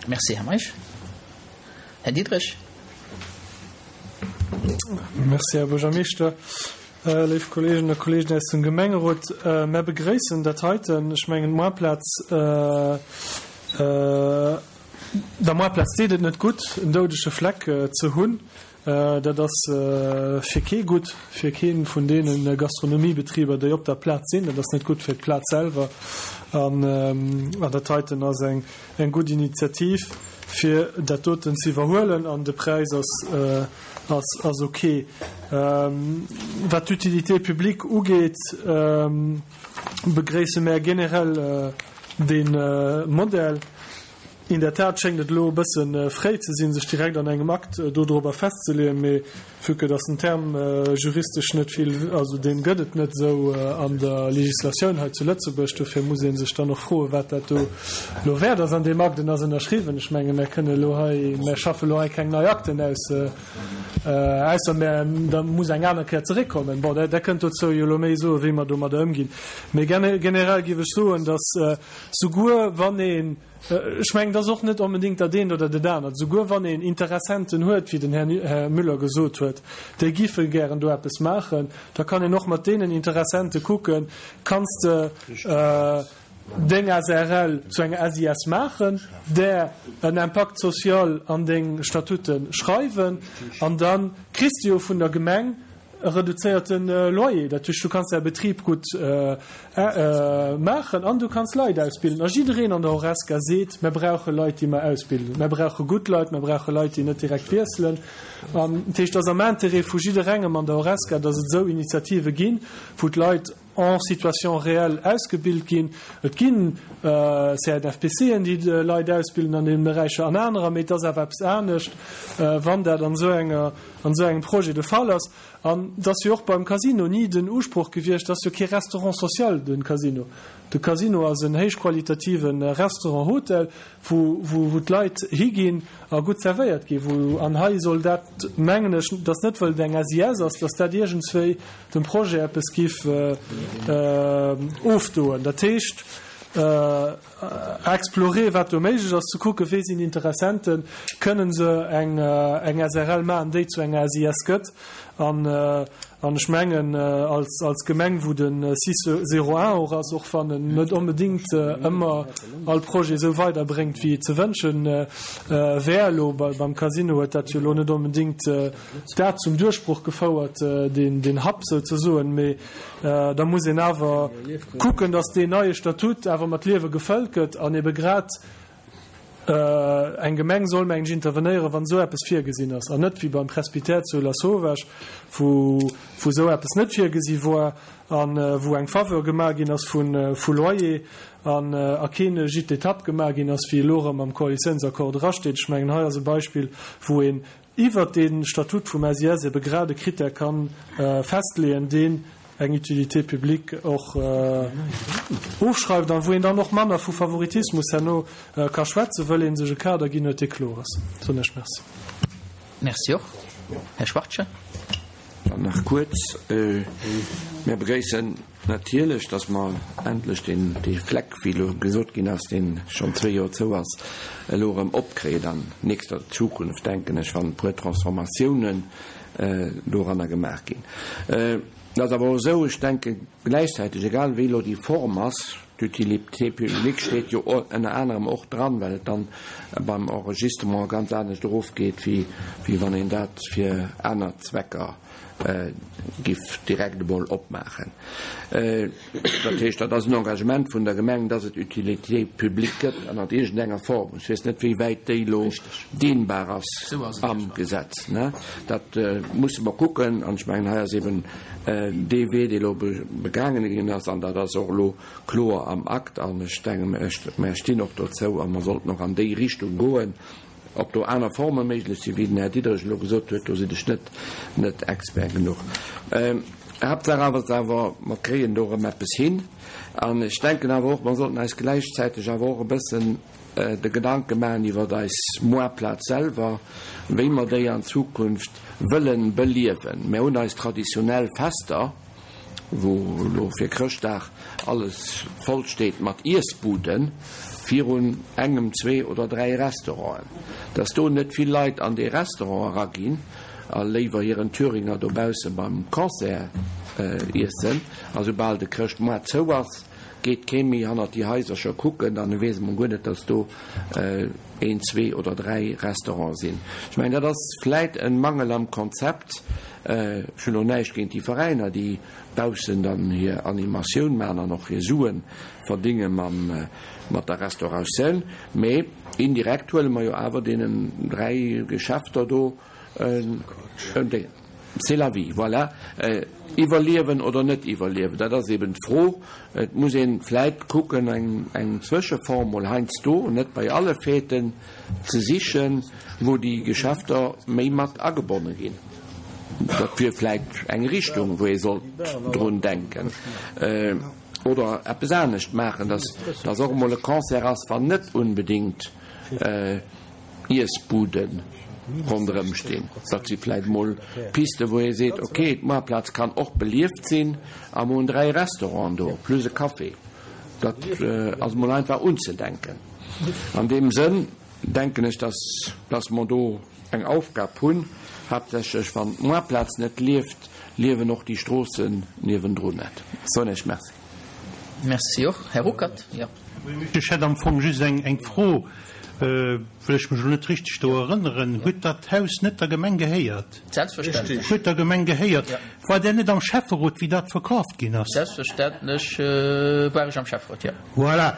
Merci, Här Meisch. Här Diderich. Merci, Här Buergermeeschter. Léif Kolleeginnen a Kolleegen aus dem Gemengerot, mär begréissen dat heiten. Ech mengen, d'Moarplaz, der Moarplaz deet et net gutt, en doudege Fleck ze hunn. Dat ass fir kee gutt, fir kee vun deene Gastronomiebetriber, déi op der Plaz sinn. Dat ass net gutt fir d'Plaz selwer. An dat heiten ass eng gutt Initiativ, fir dat doten ze iwwerhuelen. An de Präis ass ass ok. Wat d'Utilité publique ugeet, begréisse mär generell dee Modell. In der Tat schéngt et elo e bësse fréi ze sinn, sech direkt an engem Akt dodrobber festzeleeën, mee vue que dass den Term juristesch net vill, also dee gëtt et net esou an der Législatioun hei zu Lëtzebuerg, dofir muss ee sech dann och froen, wat dat do elo wäert ass an deem Akt. En ass ënnerschriwwen. Ech menge mär kënne elo hei, mär schaffe elo hei keng nei Akten aus, ausser mär, da muss eng aner Kéier zeréckkommen. Bon, Der kënnt dozou jo elo méi soen, wéi mer domadder ëmginn. Mee generell géif ech soen, dass souguer wann een, Ech mengen, et ass och net onbedéngt dat eent oder dat anert. Souguer wann een Interessenten huet, wéi den Här Müller gesot huet, déi giffe gären do eppes maachen, da kann een och mat deenen Interessente kucken, Kanns de deng S A R L zu enger S I S maachen, der en Impact social an deng Statute schreiwen, an da kriss de jo vun der Gemeng e reduzéierte Loyer. Dat heescht, du kanns däi Betrib gutt maachen an du kanns Leit ausbilden. A jiddereen an der Horesca seet, Mir brauche Leit, déi mer ausbilden. Mir brauche gutt Leit, mir brauche Leit, déi net direkt wiesselen. An dat heescht, et ass am Interêt vu jidderengem an der Horesca, datt et esou Initiative ginn, wou d'Leit en situation réelle ausgebilt ginn. Et ginn C N F P Cen, déi Leit ausbilden an deenen Beräicher an anerer, mee et ass awer eppes anescht, wann dat an esou enger, an esou engem Projet de Fall ass. An et ass jo och beim Casino ni den Usproch gewiescht, et ass jo kee Restaurant social, de Casino. De Casino ass en héichqualitative Restaurant-Hotel, wou, wou, wou d'Leit higinn a gutt zerwéiert ginn, wou, an hei soll dat, mengen ech, dass net wëll et eng S I S ass, dass dat iergendswéi dem Projet eppes giff ofdoen. Dat heescht, explorer, wat do méiglech ass, ze kucken, wee sinn Interessenten, kënnen se eng eng S R L maachen, déi zu enger S I S gëtt. An an ech mengen, als als Gemeng, wou de six zéro un och ass, och wann en net onbedéngt ëmmer all Projet esou weiderbréngt, wéi et ze wënschen wär, elo beim Casino huet dat jo elo net onbedéngt dat zum Duerchbroch gefouert, deen deen Hub souzesoen, mee da muss een awer kucken, datt deen neie Statut awer mat Liewe gefëllt gëtt an ebe grad eng Gemeng soll, mengen ech, intervenéieren, wann esou eppes virgesinn ass, an net wéi beim Presbytère zu Lasauvage, wou wou esou eppes net virgesi wor an wou eng Faveur gemaach ginn ass vu vu Loyer an a keen Gîte d'étape gemaach ginn ass, wéi elo erëm am Koalitiounsaccord drasteet. Ech mengen, hei ass e Beispill, wou een iwwert dee Statut vum S I S ebe grad e Critère ka festleeën, deen eng Utilité publique och ofschreift an wou een dann och manner vu Favoritismus herno ka schwätzen, wëll ee sech e Kader ginn huet, dee kloer ass. Soen ech Merci. Merci och. Här Schwachtgen. Dann nach kuerz, Mir begréissen natierlech, dass mer endlech deen, dee Fleck, wéi elo gesot ginn ass, dee schonn zwee Joer zou ass, elo erëm opkréien an nächster Zukunft, denken ech, wann e puer Transformatiounen doranner gemaach ginn. Et ass awer och esou, ech denke gläichzäiteg, egal wéi elo déi Form ass, D'Utilité publique steet jo ënner anerem och dran, well et dann beim Enregistrement ganz anescht erofgeet, wéi wann een dat fir aner Zwecker giff direkt emol opmaachen. Dat heescht, dat ass en Engagement vun der Gemeng, dass et Utilité publique gëtt ënnert iergendenger Form. Ech weess net, wéi wäit déi elo dehnbar ass am Gesetz. Dat musse mer kucken. An ech mengen, hei ass eben dee Wee, dee elo begaangene ginn ass, an dat ass och elo kloer am Akt, an ech denken, mer stinn och dozou a mer sollten och an déi Richtung goen. Ob do aner Forme méiglech sinn, wéi den Här Diderich elo gesot huet, do sinn ech net net Expert genuch. Haaptsaach awer ass awer, mer kréien do erëm eppes hin. An ech denken awer och, mer sollten eis gläichzäiteg awer och e bëssen de Gedanke maachen iwwert eis Moartplaz selwer, wéi mer déi an Zukunft wëllen beliewen. Mer hunn eis traditionell Fester, wou elo fir Chrëschtdag alles voll steet mat Iessbuden virun engem, zwee oder dräi Restauranten, dass do net vill Leit an déi Restaurant eraginn a léiwer hiren Thüringer dobausse beim Concert iessen. A soubal de Chrëschtmoart zou ass, geet kee méi hannert déi Haisercher kucken an e weess emol guer net, dass do een, zwee oder dräi Restaurante sinn. Ech mengen, dat ass vläit e Mangel am Konzept. Ech hunn elo näischt géint déi Veräiner, déi baussen dann hir Animatioun maachen an och hir Sue verdénge mat der Restauratioun, mee indirekt huele mer jo awer deenen dräi Geschäfter do en Déng. C'est la vie, voilà. Iwwerliewen oder net iwwerliewen, dat ass eben d'Fro. Et muss ee vläit kucken, eng Zwëscheform mol heiansdo, net bei alle Fêten, ze sichen, wou déi Geschäfter méi mat agebonne ginn. Dat wier vläit eng Richtung, wou ee sollt drun denken. Oder eppes anescht maachen, dass dass och emol e Concert ass, wann net unbedéngt Iessbude ronderëm stinn. Dat si vläit emol Pisten, wou ee seet, okay, d'Moarplaz kann och belieft sinn a mer hunn dräi Restauranten do, plus e Café. Dat ass emol einfach unzedenken. An deem Sënn denken ech, dass dass mer do eng Aufgab hunn, haaptsächlech wann d'Moarplaz net lieft, liewen och déi Stroossen niewendrun net. Soen Iech Merci. Merci och. Här Ruckert, jo. Ech hätt am Fong just eng Fro, well ech mech elo net richteg do erënneren. Huet dat Haus net der Gemeng gehéiert? Selbstverständlech. Huet der Gemeng gehéiert. War Der net am Schäfferot, wéi dat verkaaft ginn ass? Selbstverständlech war ech am Schäfferot, jo. Voilà.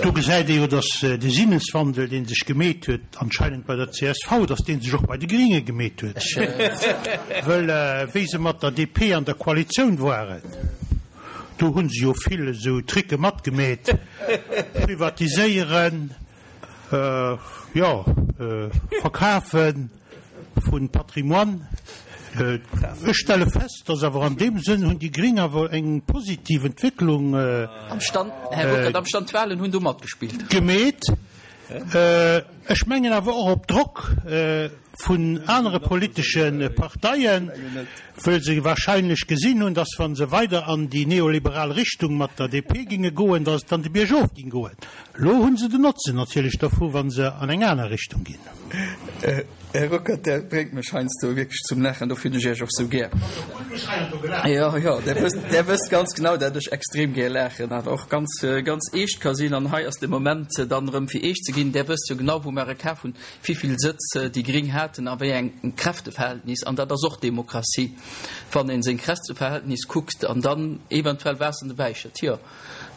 Do gesäit ee jo, datt de Sinneswandel, dee sech gemeet huet, anscheinend bei der C S V, datt dee sech och bei de Gringe gemeet huet. Wëll wéi se mat der D P an der Koalitioun waren, do hu se jo vill esou Tricke matgemeet, privatiséieren, jo, verkafen vu Patrimoine. Ech stelle fest, datt awer an deem Sënn hunn déi Gring awer eng positiv Entwécklung Am Stand, Här Ruckert, am Stand d'Wahlen hunn do matgespillt. Gemeet. Ech mengen awer och op Drock vun anere politesche Parteien, wëll se wahrscheinlech gesinn hunn, datt wa se weider an déi neoliberal Richtung mat der D P ginge goen, datt et dann de Biergof ging goen. Elo hu se den Notzen natierlech dovu wa se an eng aner Richtung ginn. Här Ruckert, Der bréngt mech heiansdo wierklech zum Laachen, dofir hunn ech Iech och sou gär. Jo, jo, Der wësst, Der wësst ganz genau, dat ech extrem gär laachen, awer och ganz, ganz eescht ka sinn. An hei ass de Moment dann erëm fir eescht ze ginn. Der wësst jo genau, wou mer e kaf hunn, wivill Sëtz déi Gring haten a wéi eng Kräfteverhältnis. An dat ass och Demokratie, wann ee seng Kräfteverhältnis kuckt an dann eventuell Waasser an de Wäi schëtt. Jo.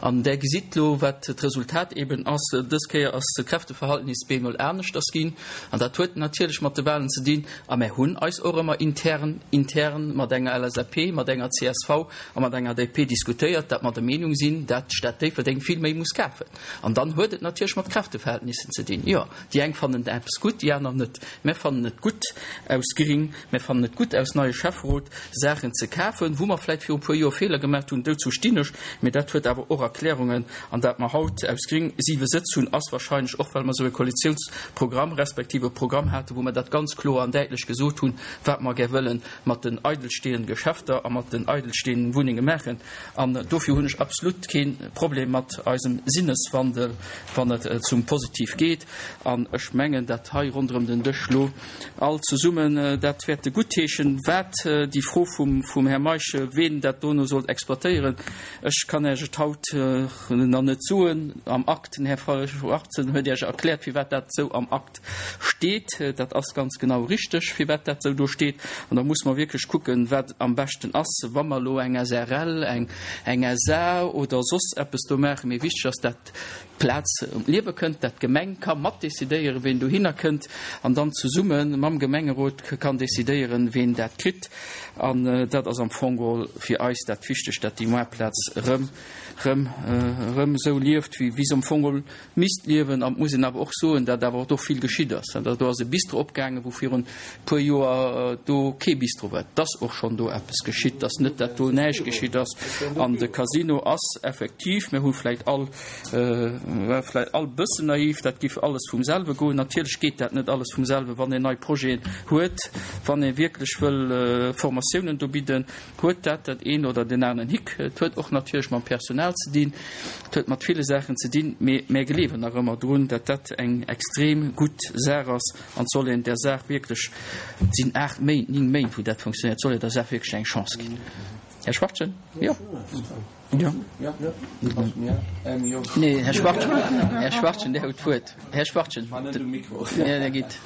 An Der gesitt elo, wat d'Resultat eben ass. Dës Kéier ass d'Kräfteverhältnis bemol aneschters ginn. An dat huet natierlech mat de Wahlen ze dinn. A mär hunn eis och ëmmer intern, intern mat enger L S A P, mat enger C S V a mat enger D P diskutéiert, dat mer der Meenung sinn, dat d'Stad Déifferdeng vill méi muss kafen. An dann huet et natierlech mat Kräfteverhältnissen ze dinn. Jo, déi eng fannen eppes gutt, déi aner net. Mär fannen et gutt aus Gring, mär fannen et gutt aus neie Schäfferot, Saachen ze kafen, wou mer vläicht viru puer Joer Feeler gemaach hunn, dozou stinn ech. Mee dat huet awer och Erklärungen. An dat mer haut aus Gring siwe Sëtz hunn, ass wahrscheinlech och, well mer esou e Koalitiounsprogramm respektiv e Programm haten, wou mer dat ganz kloer an däitlech gesot hunn, wat mer gär wëlle mat den eidelstehenden Geschäfter a mat den eidelstehenden Wunnenge maachen. An dofir hunn ech absolut kee Problem mat eisem Sinneswandel, wann et zum Positiv geet. An ech mengen, dat hei ronderëm den Dësch lo all zesummen dat wäerte guttheeschen. Wat déi Fro vum, vum Här Meisch, ween dat dono sollt exploitéieren, ech kann Iech et haut nach net soen. Am Akt, den Här Schwarzen huet Iech erkläert, firwat dat esou am Akt steet. Dat ass ganz genau richteg, firwat dat esou do steet. An da muss mer wierklech kucken, wat am beschten ass, wa mer elo eng S R L, eng, eng S A oder soss eppes do maachen. Mee wichteg ass, dat d'Plaz ëm d'Liewe kënnt, dat d'Gemeng ka mat decidéieren, ween dohinner kënnt, an dann zesumme mam Gemengerot kann decidéieren, ween dat kritt. An dat ass am Fong geholl fir eis dat Wichtegst, dat déi Moartplaz rëm, rëm, rëm esou lieft, wéi, wéi se am Fong geholl misst liewen. An et muss een awer och soen, dat awer och do vill geschitt ass. An do ass e Bistro opgaangen, wou virun puer Joer do kee Bistro war. Et ass och schonn do eppes geschitt, dass net dat do näischt geschitt ass. An de Casino ass effektiv, mir hu vläicht all, war vläicht all bëssen naiv, dat giff alles vum selwe goen. Natierlech geet dat net alles vum selwe, wann een nei Projeten huet, wann ee wierklech wëll Formatiounen do bidden, huet dat dat een oder den aneren Hick. Et huet och natierlech mam Personal ze dinn, et huet mat ville Saachen ze dinn, mee mär gleewen nach ëmmer drun, dat dat eng extrem gutt Saach ass an et soll een där Saach wierklech, et sinn aacht Méint, ning Méint, wou dat funktionéiert, et soll een der Saach wierklech eng Chance ginn. Här Schwartgen? Jo. Jo. Nee, Här Schwartgen, Här Schwartgen, Dir hutt d'Wuert. Här Schwartgen. Ja, der geet.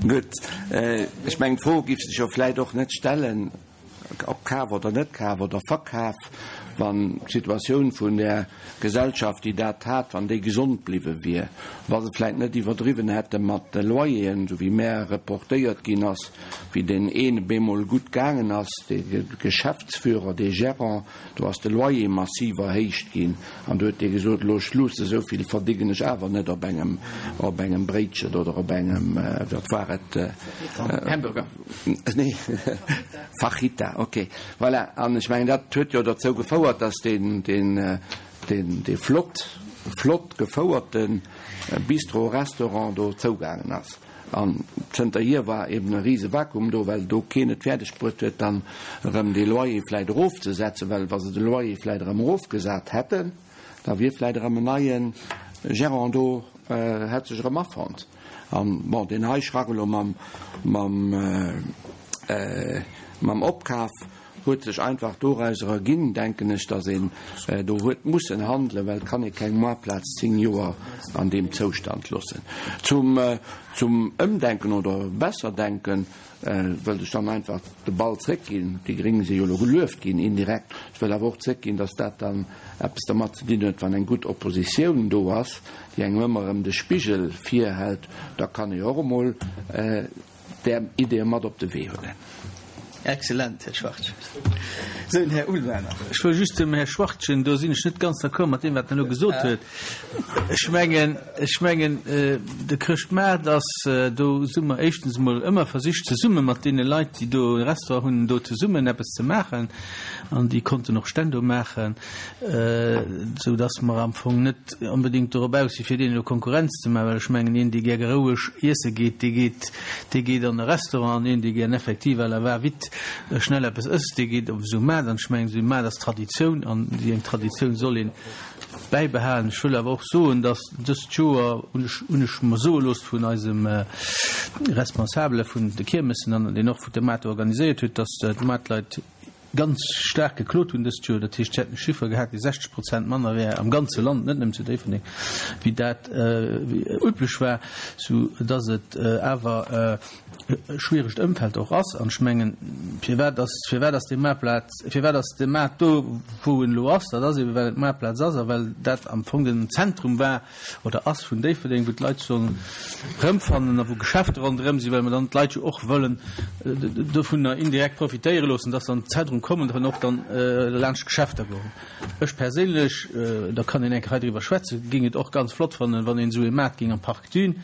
Gutt. Ech mengen, d'Fro géif sech jo vläicht och net stellen, ob Kaf oder net Kaf oder Verkaf, wann d'Situatioun vun där Gesellschaft, déi dat hat, wann déi gesond bliwwe wier, wa se vläicht net iwwerdriwwen hätte mat de Loyeren, esou wéi mär reportéiert ginn ass, wéi deen een bemol gutt gaangen ass, dee Geschäftsführer, dee Gérant, do ass de Loyer massiv erhéicht ginn an do huet dee gesot, elo Schluss, esou vill verdéngen ech awer net op engem, op engem Bréitchen oder op engem, wat war et? Hamburger. Nee, Fajita, okay. Voilà, an ech mengen, dat huet jo dozou gefouert, dass deen, deen, deen, dee flott, flott gefouerte Bistro-Restaurant do zougaangen ass. An zënterhier war eben e rise Vakuum do, well do keen et fäerdeg bruet huet, dann erëm dee Loyer vläicht erofzesetzen, well wa se de Loyer vläicht erëm erofgesat hätten, da wier vläicht erëm en neie Gérant do, hätt sech erëm afonnt. An bon, deen hei Schrack elo mam, mam, mam Opkaf huet sech einfach dorauser erginn, denken ech, datt een do huet mussen handelen, well et kann ee keng Moartplaz zéng Joer an deem Zoustand loossen. Zum, zum Ëmdenken oder Besserdenken wëllt ech dann einfach de Ball zréckginn. Déi Gréng si jo elo gelueft ginn indirekt. Ech wëll awer och zréckginn, datt dat dann eppes dermat ze dinn huet, wann eng gutt Oppositioun do ass, déi engem ëmmer erëm de Spigel virhält, da kann ee och emol där Ideeë mat op de Wee huelen. Excellent, Här Schwartgen. Sou, den Här Ullmann nach. Ech wëll just dem Här Schwartgen, do sinn ech net ganz d'accord mat deem, wat en elo gesot huet. Ech mengen, ech mengen, de Chrëschtmaart ass, do hu mer éischtens emol ëmmer versicht, zesumme mat deene Leit, déi do e Restaurant hunn, do zesummen eppes ze maachen. An déi konnten och Stänn do maachen, esou dass mer am Fong net onbedéngt dorop aus si fir deenen elo Konkurrenz ze maachen, well ech mengen, een, dee gär roueg iesse geet, dee geet, dee geet an e Restaurant, an een, dee gär effektiv à la va-vite schnell eppes ësst, dee geet op esou Maart. An ech mengen, esou e Maart ass Traditioun, an déi eng Traditioun soll ee bäibehalen. Ech wëll awer och soen, dass dëst Joer, hunn ech, hunn ech mer soe looss vun eisem Responsabele vun de Kiermessen an deen och de Maart organiséiert huet, dass d'Maartleit ganz staark geklot hunn dëst Joer. Dat heescht, si hätten e Chiffer gehat, dee sechzeg Prozent manner wär am ganze Land, net nëmmen zu Déifferdeng, wéi dat üblech war, sou dass et awer e schwieregt Ëmfeld och ass. An ech mengen, firwat ass, firwat ass dee Maartplaz, firwat ass de Maart do, wou en elo ass? Dat ass eeben, well et d'Maartplaz ass a well dat am Fong den Zentrum war oder ass vun Déifferdeng, wou d'Leit sollen erëmfannen a wou Geschäfte ronderëm sinn, well mer dann d'Leit jo och wëllen dovunner indirekt profitéiere loossen, dass se an d'Zentrum kommen an och dann laanscht d'Geschäfter goen. Ech perséinlech, da kann een eng Kéier hei driwwer schwätzen, géing et och ganz flott fannen, wann een esou ee Maart géing am Parc Thune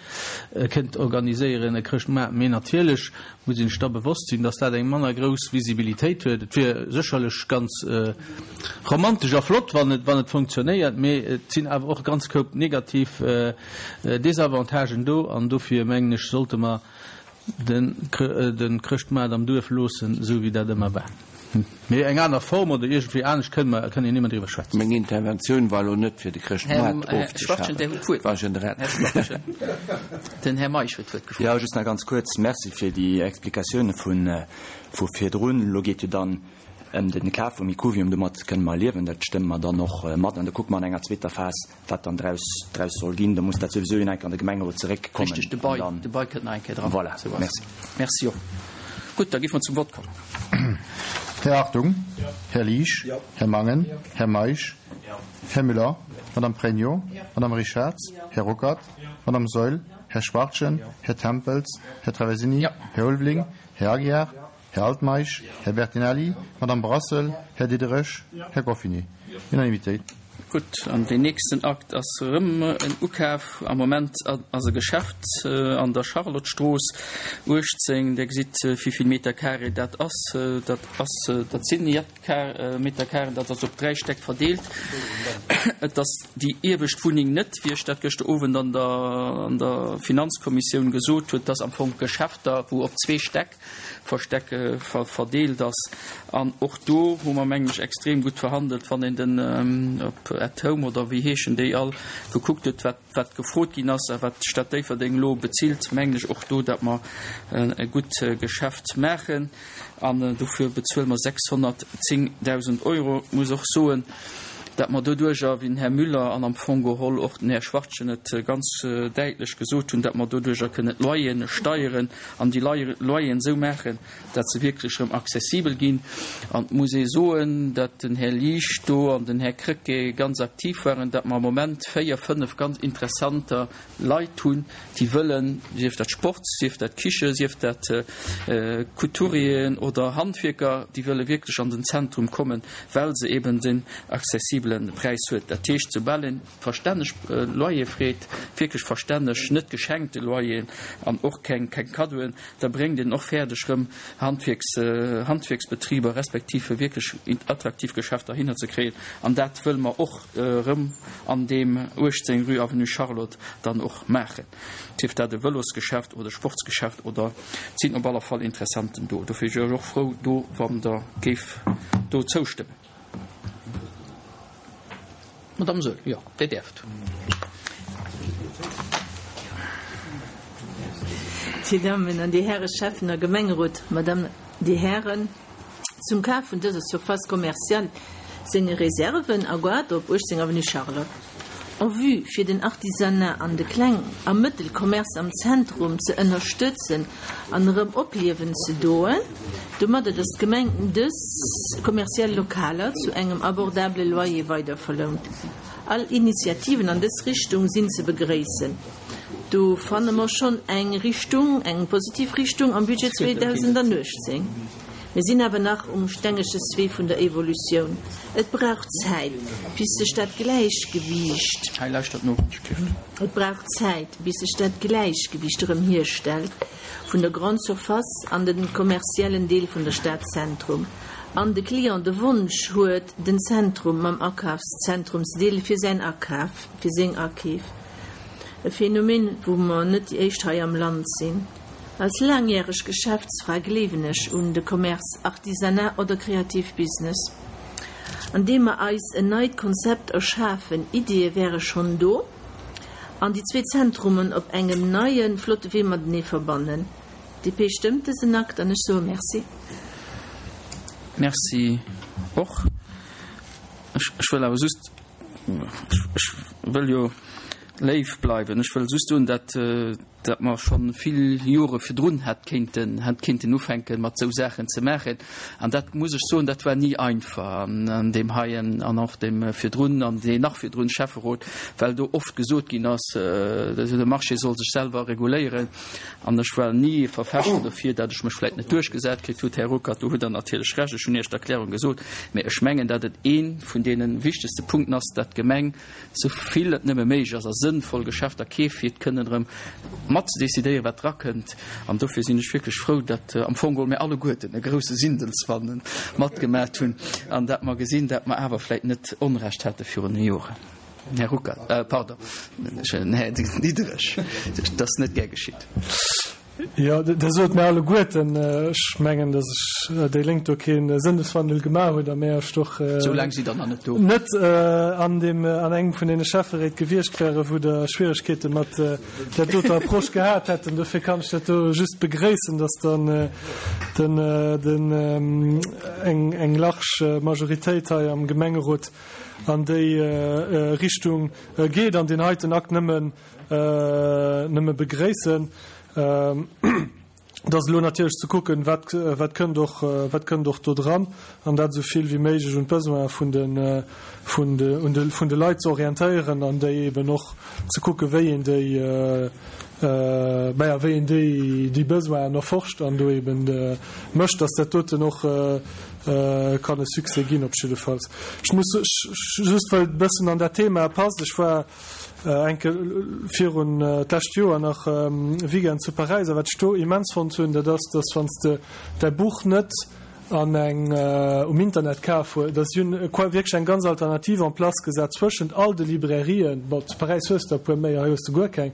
kënnt organiséieren, e Chrëschtmaart. Mee natierlech muss een sech da bewosst sinn, dass dat eng manner grouss Visibilitéit huet. Et wier sécherlech ganz romantesch a flott, wann et, wann et funktionéiert, mee et sinn awer och e ganz Koup negativ Desavantagen do an dofir mengen ech, sollte mer den, den Chrëschtmaart am Duerf loossen, esou wéi dat ëmmer war. Mee eng aner Form oder iergendwéi anescht kënne mer, kënne een ëmmer driwwer schwätzen. Meng Interventioun war elo net fir de Chrëschtmaart ofzeschafen. War generell. Den Här Meisch huet d'Wuert gefrot. Jo, just nach ganz kuerz. Merci fir déi Explikatioune vu virdrun. Elo geet jo dann ëm de Kaf vum Ikkuvium. Domat kënne mer liewen. Dat stëmme mer dann och mat. An da kucke mer an enger zweeter Phas, wat dann draus, draus soll ginn. Da muss dat souwisou eng Kéier an de Gemengerot zeréckkommen. Richteg, de Bail, de Bail kënnt nach eng Kéier dran. Voilà, merci. Merci och. Gutt, da géife mer zum Vott kommen. Här Hartung? Här Liesch? Här Mangen? Här Meisch? Här Müller? Madame Pregno? Madame Richarz? Här Ruckert? Madame Saeul? Här Schwachtgen? Här Tempels? Här Traversini? Här Ulveling? Här Aguiar? Här Altmeisch? Här Bertinelli? Madame Brassel? Här Diderich? Här Goffinet? Unanimitéit. Gutt, an deen nächsten Akt ass erëm en Ukaf. Am Moment ass e Geschäft an der Charlottestrooss uechtzéng. Dir gesitt, wéi vill Meter carré dat ass. Dat ass, dat sinn Meter carré, dat ass op dräi Stäck verdeelt. Et ass déi iewescht Wunneng net, wéi ech dat gëschter Owend an der, an der Finanzkommissioun gesot huet, dass am Fong Geschäfter, wou op zwee Stäck versteck, verdeelt ass. An och do hu mer, mengen ech, extrem gutt verhandelt, wann een den op At Home oder wéi heeschen déi all gekuckt huet, wat, wat gefrot ginn ass a wat d'Stad Déifferdeng elo bezilt, mengen ech och do, datt mer e gutt Geschäft maachen. An dofir bezuele mer sechshonnertzéngdausend Euro. Ech muss och soen, datt mer doduerjer, wéi den Här Müller an am Fong geholl och den Här Schwachtgen et ganz däitlech gesot hunn, datt mer doduerjer kënnen d'Loyeren steieren an déi Loyeren esou maachen, datt se wierklech erëm accessibel ginn. An et muss ee soen, datt den Här Liesch do an den Här Krecké ganz aktiv waren, datt mer am Moment véier, fënnef ganz interessanter Leit hunn, déi wëllen, sief dat Sport, sief dat Kiche, sief dat Couturieren oder Handwierker, déi wëlle wierklech an den Zentrum kommen, well se eben den accessibele Präis huet. Dat heescht, soubal een verstänneg Loyer freet, wierklech verstänneg, net geschenkte Loyeren an och keng Kaddoen, da bréngt een och fäerdeg rëm Handwierks, Handwierksbetriber respektiv wierklech attraktiv Geschäfter hinner ze kréien. An dat wëlle mer och erëm an deem uechtzéng rue Avenue Charlotte dann och maachen. Sief dat e Vëlosgeschäft oder e Sportsgeschäft oder, et sinn op alle Fall Interessanten do. Dofir wier ech och frou do, wann Der géift do zoustëmmen. Madame Saeul, jo, Dir däerft. Dir Dammen an Dir Häre Schäffen a Gemengerot, Madame, Dir Hären, zum Kaf vun dëser Surface commerciale senge Reserven a Goart op uechtzéng Avenue Charlotte. En vue fir den Artisanat an de Kleng a Mëttelcommerce am Zentrum ze ënnerstëtzen an erëm opliewen ze doen, domadder datt d'Gemeng dës kommerziell Lokaler zu engem abordabele Loyer weiderverlount. All Initiativen an dës Richtung sinn ze begréissen. Do fanne mer schonn eng Richtung, eng positiv Richtung am Budget zweedausendanuechtzéng. Mir sinn awer nach um Stengescheswee vun der Evolutioun. Et brauch Zäit, bis sech dat Gläichgewiicht, et brauch Zäit, bis sech dat Gläichgewiicht erëm hierstellt vun der Grande Surface an den kommerziellen Deel vun der Stadzentrum an de Client de Wonsch huet, den Zentrum mam Akafszentrum ze deele fir säin Akaf, fir seng Akeef. E Phänomen, wou mer net déi éischt hei am Land sinn. Als laangjäreg Geschäftsfra gleewen ech un de Commerce, Artisanat oder kreativ Business. An deem mer eis en neit Konzept erschafen, Iddie wäre schonn do, an déi zwee Zentrumen op engem neien, flotte Wee matenee verbannen. D P stëmmt dësen Akt an ech soe Merci. Merci och. Ech wëll awer just, ech wëll jo léif bleiwen, ech wëll just soen, dat dat mer schonn vill Jore virdrun hätt kéinten, hätt kéinten ufänken, mat esou Saachen ze maachen. An dat muss ech soen, dat war ni einfach an deem heien an och deem virdrun an deen nach virdrun Schäfferot, well do oft gesot ginn ass, de Marché soll sech selwer reguléieren. An ech war ni e Verfechter dofir, dat ech mech vläicht net duerchgesat kritt hutt. Här Ruckert, do hutt Der natierlech Recht, ech hunn Iech d'Erklärung gesot. Mä ech mengen, dat et ee vun deene wichtegste Punkten ass, dat d'Gemeng, sou vill et nëmme méiglech ass, a sënnvoll Geschäfter keeft, fir kënnen erëm mat ze decidéieren, wat drakënnt. An dofir sinn ech wierklech frou, datt am Fong geholl mir alleguerten e grousse Sindelsfannen matgemaat hunn an dat mer gesinn, dat mer awer vläicht net Onrecht hate virun Joren. Här Ruckert, pardon, Här Diderich, dat ass net gär geschitt. Jo, Der sot mir alleguerten, ech mengen, datt ech, déi Lénk do kee Sënneswandel gemaach huet a mir ech doch Esou laang sidd Der nach net do. net an deem, an engem vun deene Schäfferéit gewiescht wäre wou Der Schwieregkeete mat där doter Approche gehat hätten. Dofir kann ech dat do just begréissen, datt dann den, den, eng, eng large Majoritéit hei am Gemengerot an déi Richtung geet an deen heiten Akt nëmmen, nëmme begréissen. Et ass elo natierlech ze kucken, wat, wat kënnt och, wat kënnt och do dran, an dat esou vill wéi méiglech un d'Besoine vun de, vun de, un de, vun de Leit ze orientéieren an déi eben och ze kucken, wéi een déi, maja, wéi een déi, déi Besoinen erforscht an do eben mécht, dass dat doten och kann e Succès ginn op jiddefalls. Ech muss just, well et e bëssen an dat Thema passt, ech war eng Kéier virun d'lescht Joer nach e Weekend zu Paräis a wat ech do immens fonnt hunn, dat ass, dass wann s de däi Buch net an eng um Internet kaf hues, dass si hunn wierklech eng ganz Alternativ en place gesat zwëschent all de Librairien, bon zu Paräis hues de e puer méi, hei hues de guer keng,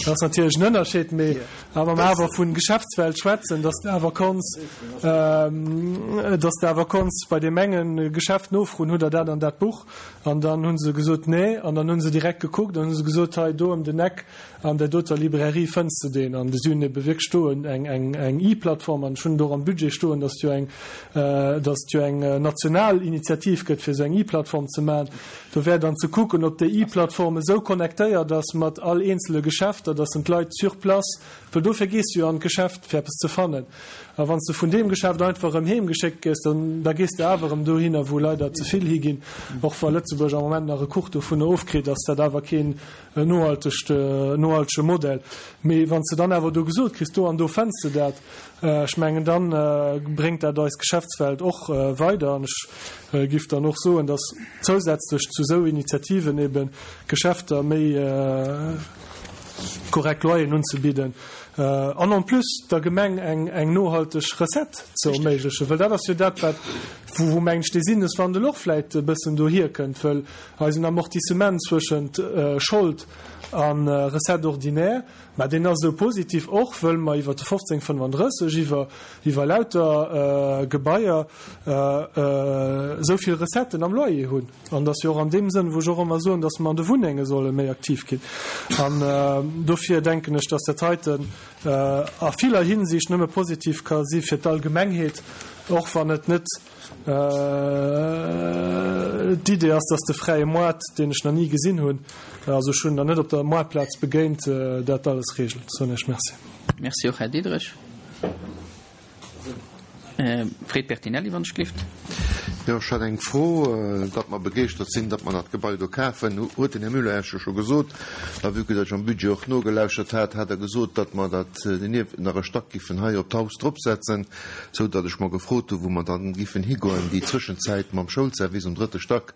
dat ass natierlech en Ënnerscheed, mee a wa mer awer vu Geschäftswelt schwätzen, dass de awer konns, dass de awer konns bei deem enge Geschäft nofroen, hutt der dat an dat Buch? An dann hu se gesot, Nee. An dann hu se direkt gekuckt an hu se gesot, Hei do ëm den Eck an där doter Librairie fënns de deen. An si hunn ebe wierklech do eng, eng, eng E-Plattform. An ech hunn et och am Budget stoen, dass et jo eng, dass et jo eng national Initiativ gëtt, fir esou eng E-Plattform ze maachen. Do wär dann ze kucken, ob déi E-Plattform esou connectéiert ass mat all eenzele Geschäfter, dass en d'Leit sur place, well dofir gees du jo an d'Geschäft, fir eppes ze fannen. A wann s de vun deem Geschäft einfach erëm heem geschéckt gëss, dann da gees de awer erëm dohinner, wou leider ze vill higinn. Och wa Lëtzebuerg am Moment nach e Kuch dovunner ofkritt, ass dat awer keen nohaltegt, nohaltege Modell. Mee wann s de dann awer do gesot kriss, do an do fënns de dat, ech mengen, da bréngt dat eis Geschäftswelt och weider. An ech giff dann och soen, dass zousätzlech zu esou Initiativen eben d'Geschäfter méi korrekt Loyeren unzebidden an en plus der Gemeng eng eng nohalteg Recette ze erméiglechen, well dat ass jo dat, wat, wou, wou mengen ech, dee Sinneswandel och vläicht e bëssen dohierkënnt, wëll eisen Amortissement zwëschent Schold a Recette ordinaire, mä deen ass esou positiv och, wëll mer iwwer de fofzéng fënnefandrësseg, iwwer, iwwer lauter Gebaier esou vill Recetten am Loyer hunn. An et ass jo och an deem Sënn, wou ech och ëmmer soen, dass mer an de Wunnenge solle méi aktiv ginn. An dofir denken ech, dass dat heiten a viller Hinsicht nëmme positiv ka si fir d'Allgemengheet, och wann et net d'Idee ass, dass de fräie Moart, deen ech nach ni gesinn hunn, also ech hunn en nach net op der Moartplaz begéint, dat alles regelt. Soen ech Merci. Merci och, Här Diderich. Fred Bertinelli, wann ech gelift. Jo, ech hat eng Fro. Datt mer begeeschtert sinn, datt mer dat Gebai do kafen, huet den Här Müller Iech jo scho gesot. A vue que datt ech am Budget och nogelauschert hat, hat Der gesot, datt mer dat nieft nach e Stack giffen hei op d'Haus dropsetzen, sou datt ech mer gefrot hu wou mer dann giffen higoen. Déi Zwëschenzäit mam Schoulservice um drëtte Stack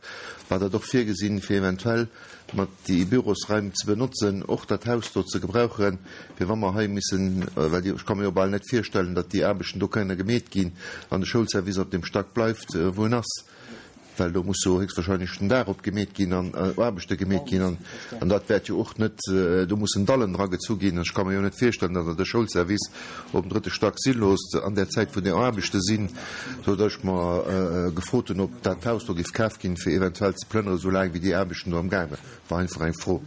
war dat och virgesinn, fir eventuell mat déi Bürosraim ze benotzen, och dat Haus do ze gebrauchen, fir wa mer hei missen, well ech ka mir jo bal net virstellen, datt déi Aarbechten do kënne gemeet ginn, wann de Schoulservice op deem Stack bleift, wou en ass, well do muss jo héchstwahrscheinlech den Daach opgemeet ginn an Aarbechte gemeet ginn an an dat wäert jo och net, do mussen Dallen dra gezu ginn. Ech ka mir jo net virstellen, datt Der de Schoulservice op dem drëtte Stack si loosst an där Zäit, wou déi Aarbechte sinn, soudatt ech mer gefrot hunn, ob dat Haus do géif kaf ginn, fir eventuell ze plënnere soulaang wéi déi Aarbechten do am gaange war. Einfach eng Fro.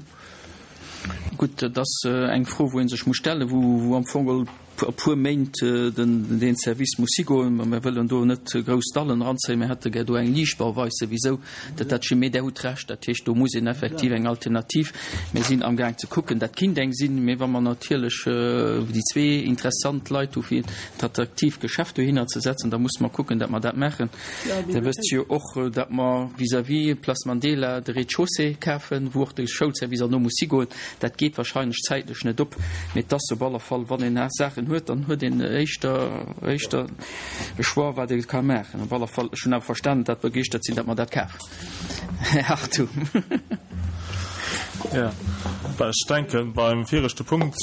Gutt, dat ass eng Fro, wou ee sech muss stellen, wou am Fong geholl e puer Méint deen Service muss higoen. Mä mir wëllen do net grouss Dallen eranzéien. Mir hätte gär do eng Liichtbauweis souwisou, dat dat schimm. Mee Der hutt Recht, dat heescht, do muss een effektiv eng Alternativ, mir sinn amgaang ze kucken, dat kinnt eng sinn. Mee wa mer natierlech déi zwee interessant Leit hu fir en attraktiivt Geschäft dohinner ze setzen, da musse mer kucken, datt mer dat maachen. Der wësst jo och, datt mer vis-à-vis Place Mandela de Rez-de-chaussée kafen, wou och de Schoulservice herno muss higoen. Dat geet wahrscheinlech zäitlech net op, mee et ass op alle Fall, wann een Saachen huet, dann huet een éischter, éischter e Choix, wat ee ka maachen. Op alle Fall, ech hunn awer verstanen, datt begeeschtert sinn, datt mer dat kafen. Här Hartung. Ja. Ech denken, beim viregte Punkt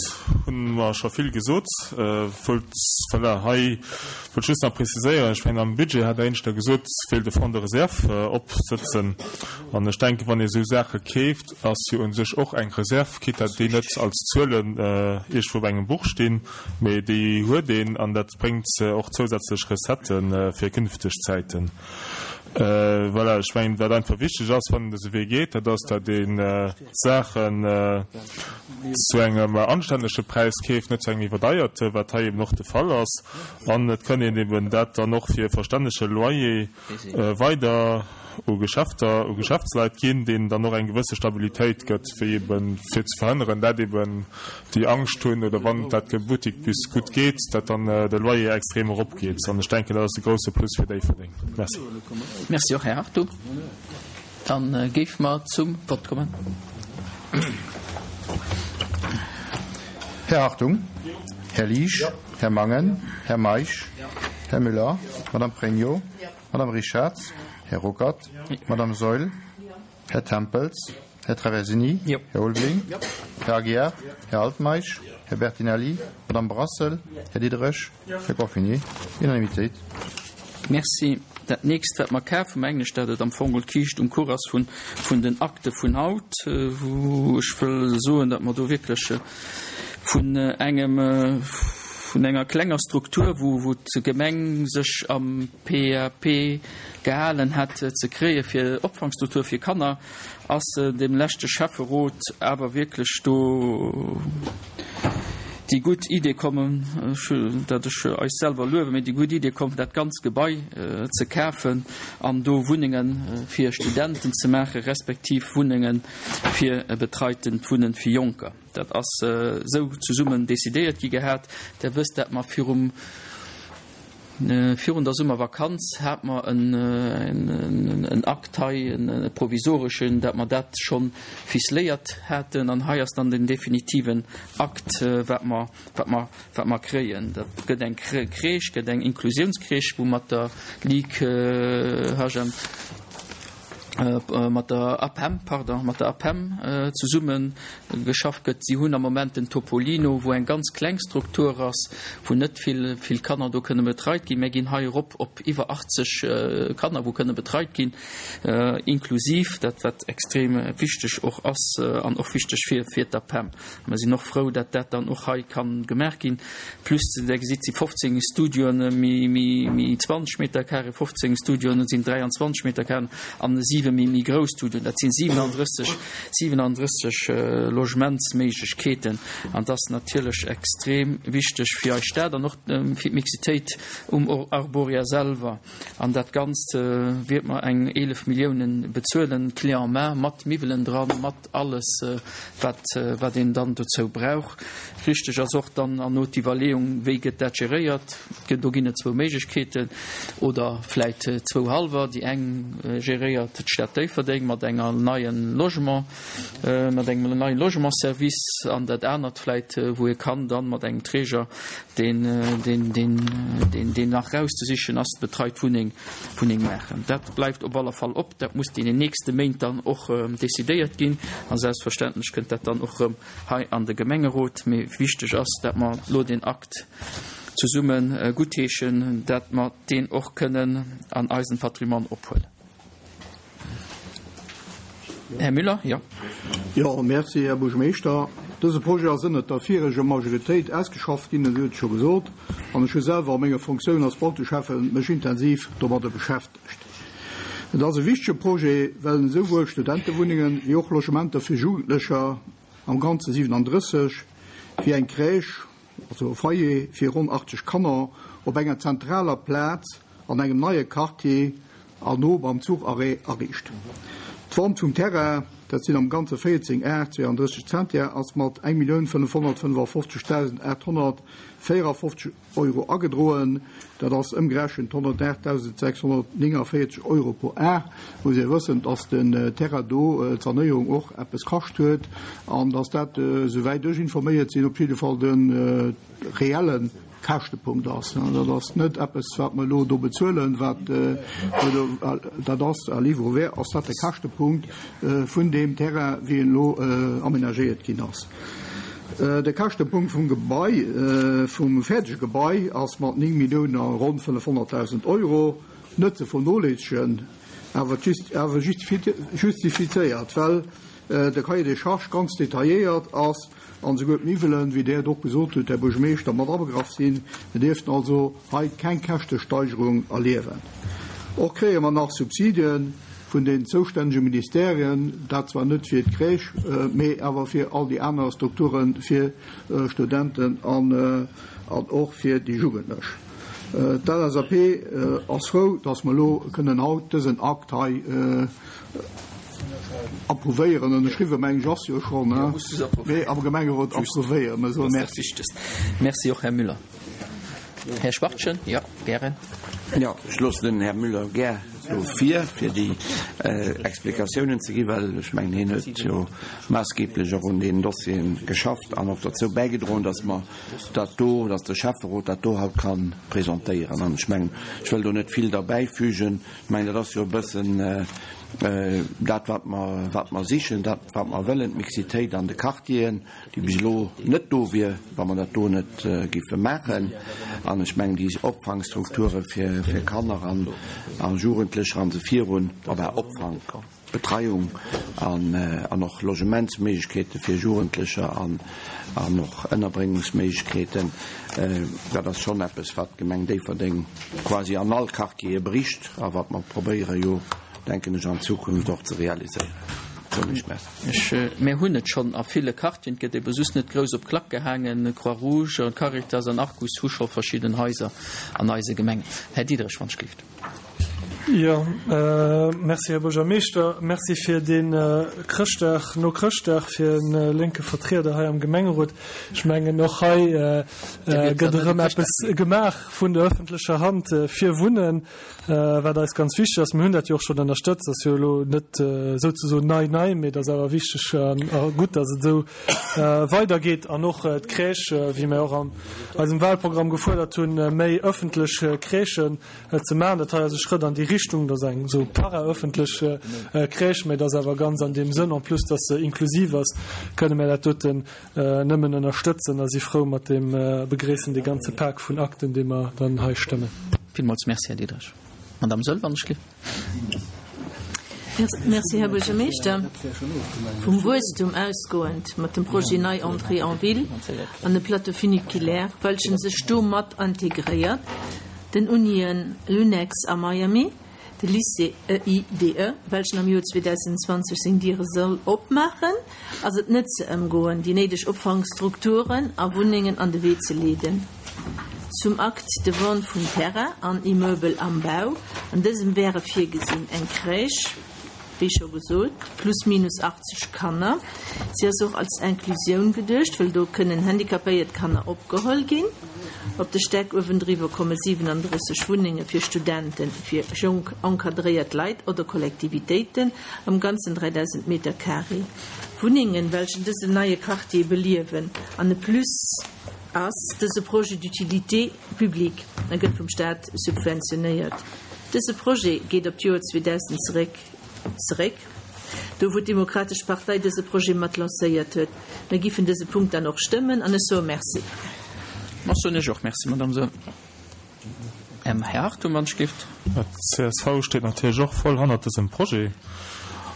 hu mer scho vill gesot. Wollt, voilà, hei wollt just nach preziséieren, ech mengen am Budget hat Der éineschter gesot, wéilt e Fonds de réserve opsëtzen. An ech denken, wann ee sou Saache keeft, ass jo u sech och eng Reserve, quitte datt déi net als Zuelen iergendwou op engem Buch stinn, mee déi huet een an dat bréngt och zousätzlech Recettë fir künfteg Zäiten. Voilà, ech mengen, wat einfach wichteg ass, wann een dëse Wee geet, dat ass, datt een d'Saachen zu engem anstännege Präis keeft, net zu engem iwwerdeierte, wat hei eben och de Fall ass. An et kann een eben dat dann och fir e verstännege Loyer weider u Geschäfter, u Geschäftsleit ginn, deenen dann och eng gewësse Stabilitéit gëtt, wéi eben fir ze verhënneren, dat eben déi Angscht hunn, oder wann dat Buttik bis gutt geet, dat dann de Loyer extrem eropgeet. An ech denken, dat ass e grouse Plus fir Déifferdeng. Merci. Merci och, Här Hartung. Dann géife mer zum Vott kommen. Här Hartung. Här Liesch. Här Mangen. Här Meisch. Här Müller. Madame Pregno. Madame Richarz. Här Ruckert. Madame Saeul. Här Tempels. Här Traversini. Här Ulveling. Här Aguiar. Här Altmeisch. Här Bertinelli. Madame Brassel. Här Diderich. Här Goffinet. Unanimitéit. Merci. Dat nächst, wat mer kafen, mengen ech, dat et am Fong d'Kiischt um Kuch ass vun, vun den Akte vun haut, wou ech wëll soen, datt mer do wierklech vun engem, vun enger klenger Struktur, wou, wou d'Gemeng sech am P A P gehalen hätt ze kréie fir Opfangstruktur fir Kanner, ass dem leschte Schäfferot awer wierklech do déi gutt Idee kommen, dat ech eis selwer luewen, mee déi gutt Idee komm, dat ganz Gebai ze kafen an do Wunnenge fir Studenten ze maachen, respektiv Wunnenge fir betreitent Wunnen fir Jonker. Dat ass esou zesummen decidéiert gi gehat. Der wësst, dat mer virum Virun der Summervakanz hat mer en Akt hei, e provisoreschen, dat mer dat scho ficeléiert haten. An hei ass dann den definitiven Akt, wat mer, wat mer, wat mer kréien. Dat gëtt eng Crèche, gëtt eng Inklusiounscrèche, wou mat der Ligue H M, mat der APEM, pardon, mat der APEM zesumme geschafft gëtt. Si hunn am Moment den Topolino, wou eng ganz kleng Struktur ass, wou net vill, vill Kanner do kënne betreit ginn. Mir ginn hei erop op iwwer achtzeg Kanner, wou kënne betreit ginn, inklusiv, dat wat extrem wichteg och ass an och wichteg fir, fir d'APEM. Mir sinn och frou, dat dat dann och hei kann gemaach ginn. Plus, Der gesitt, si fofzéng Studioen, méi, méi, méi zwanzeg Meter carré, fofzéng Studioen sinn dräianzwanzeg Meter carré an siwe méi, méi grouss Studioen. Dat sinn siewenanddrësseg, siewenanddrësseg Logementsméiglechkeeten. An dat ass natierlech extrem wichteg fir eis Stad an och fir d'Mixitéit um Arboria selwer. An dat Ganzt wäert mer eng eelef Milliounen bezuelen, clé en main, mat Miwwelen dran, mat alles, wat, wat een dann dozou brauch. Richteg ass och dann erno d'Iwwerleeung, wéi gëtt dat geréiert. Do ginn et zwou Méiglechkeeten oder vläit zwou hallwer. Déi eng geréiert d'Stad Déifferdeng mat enger neien Logement, mat engem neien Logementsservice an dat anert vläit, wou ee kann dann mat engem Träger, deen, deen, deen, deen, deen nach rauszesichen ass, betreit Wunneng, Wunneng maachen. Dat bleift op alle Fall op. Dat muss deenen nächste Méint dann och decidéiert ginn a selbstverständlech kënnt dat dann och erëm hei an de Gemengerot. Mee wichteg ass, dat mer elo deen Akt zesumme guttheeschen, dat mer deen och kënnen an eisen Patrimoine ophuelen. Här Müller, jo. Jo, merci, Här Buergermeeschter. Dëse Projet ass ënnert der vireger Majoritéit ausgeschafft ginn, et huet scho gesot, an ech hu selwer a menger Funktioun als Bauteschäffe mech intensiv domadder beschäftegt. Et ass e wichtege Projet, well en esouwuel Studentewunnengen wéi och Logementer fir Jugendlecher, am Ganze siewenanddrësseg, wéi eng Crèche, also e Foyer fir ronn achtzeg Kanner, op enger zentraler Plaz an engem neie Quartier an no beim Zucharrêt ariicht. D'Vente vum Terrain, dat sinn am Ganze véierzéng Ar zweeandrësseg Zentiar, ass mat eng Millioun fënnefhonnertfënnefafofzegdausend aathonnertvéierafofzeg Euro agedroen. Dat ass ëmgerechent honnertaachtdausendsechshonnertnéngavéierzeg Euro pro Ar. Muss ee wëssen, dass den Terrain do d'Sanéierung och eppes kascht huet an dass dat, souwäit ech informéiert sinn, op jidde Fall de reelle Käschtepunkt ass. Dat ass net eppes, wat mer elo do bezuelen, wat dat ass à livre ouvert, ass dat de Käschtepunkt vun deem Terrain, wéi en elo amenagéiert ginn ass. De Käschtepunkt vum Gebai, vum fäerdege Gebai ass mat néng Milliounen a ronn fënnefhonnertdausend Euro net ze vernoléissegen, awer awer justifizéiert, well de Cahier des charges ganz detailléiert ass an esouguer d'Miwwelen, wéi Der et och gesot hutt, Här Buergermeeschter, mat abegraff sinn. Mir dierften also hei keng Käschtesteigerung erliewen. Och kréie mer nach Subsidien vun den zoustännege Ministerien, dat zwar net fir d'Crèche, mee awer fir all déi aner Strukture fir Studenten an och fir déi Jugendlech. D'LSAP ass frou, dass mer elo kënnen haut dësen Akt hei approuvéieren. Ënnerschriwwen, mengen ech, ass jo schonn, mee am Gemengerot approuvéieren. Mir soe Merci. Merci och, Här Müller. Här Schwachtgen, jo, gären. Jo, ech loossen den Här Müller gär do vir, fir déi Explikatiounen ze ginn, well ech mengen, hien huet jo maassgeeblech och un deenen Dossieren geschafft an och derzou bäigedroen, dass mer dat do, dass de Schäfferot dat do haut ka presentéieren. An ech mengen, ech wëll do net vill derbäifügen. Ech mengen, dat ass jo e bëssen dat, wat mer, wat mer sichen, dat, wat mer wëllen, d'Mixitéit an de Quartieren, déi bis elo net do wier, wa mer dat do net géife maachen. An ech mengen, déi Opfangstrukture fir, fir Kanner an, a Jugendlecher an esou virun, enfin Opfang, Betreiung an, an och Logementsméiglechkeete fir Jugendlecher an, an och Ënnerbréngungsméiglechkeeten, dat ass schonn eppes, wat d'Gemeng Déifferdeng quasi an all Quartiere bericht a wat mer probéiere jo, denken ech, an Zukunft och ze realiséieren. Soen ech Merci. Ech, mir hunn et schonn a ville Quartieren, et gëtt ebe just net grouss op d'Klack gehaangen. Croix-Rouge an Caritas an Arcus hu scho verschidden Haiser an eise Gemengen. Här Diderich, wann ech gelift. Jo, Merci, Här Buergermeeschter. Merci fir dee Chrëschtdag, no Chrëschtdag fir e lénke Vertrieder hei am Gemengerot. Ech mengen, och hei gëtt erëm eppes gemaach vun der öffentlecher Hand fir Wunnen, wat eis ganz wichteg ass. Mir hunn dat jo och schonn ënnerstëtzt. Dat ass jo elo net souzesoen nei, nei, mee et ass awer wichteg a gutt, dass et esou weidergeet. An och d'Crèche, wéi mir och an eisem Wahlprogramm gefuerdert hunn, méi öffentlech Crèchen ze maachen. Dat hei ass e Schrëtt an déi Richtung. Dat ass eng esou paraöffentlech Crèche, mä dat ass awer ganz an deem Sënn, en plus dass se inklusiv ass, kënne mir dat doten nëmmen ënnerstëtzen a si frou mat deem, begréissen dee ganze Pak vun Akten, dee mer dann hei stëmmen. Villmools Merci, Här Diderich. Madame Saeul, wann ech gelift. Merci, Här Buergermeeschter. Vum Wuesstum ausgoend mat dem Projet Nei Entrée en ville an de Plateau funiculaire, welchen sech do mat integréiert, den Unien Lunex a Miami, de Lycée E I D E, welchen am Joer zweedausendzwanzeg seng Diere soll opmaachen, ass et net ze ëmgoen, déi néideg Opfangstrukturen a Wunnengen an de Wee ze leeden. Zum Acte de vente vum Terrain an Immeubel am Bau, an dësem wäre virgesinn eng Crèche, wéi scho gesot, plus minus achtzeg Kanner. Si ass och als Inclusioun geduecht, wëll do kënnen handicapéiert Kanner opgeholl ginn. Op de Stäck uewendriwwer komme siwenandrësseg Wunnenge fir Studenten, fir jonk encadréiert Leit oder Kollektivitéiten, am Ganzen dräidausend Meter carré Wunnengen, welchen dësen neie Quartier beliewen. An e Plus ass dëse Projet d'utilité publique a gëtt vum Staat subventionéiert. Dëse Projet geet op d'Joer zweedausend zeréck, zeréck, do wou d'Demokratesch Partei dëse Projet mat lancéiert huet. Mir giffen dëse Punkt dann och stëmmen an ech soe Merci. Ech soen Iech och Merci, Madame Saeul. Här Hartung, wann ech gelift. D' C S V steet natierlech och voll hannert dësem Projet.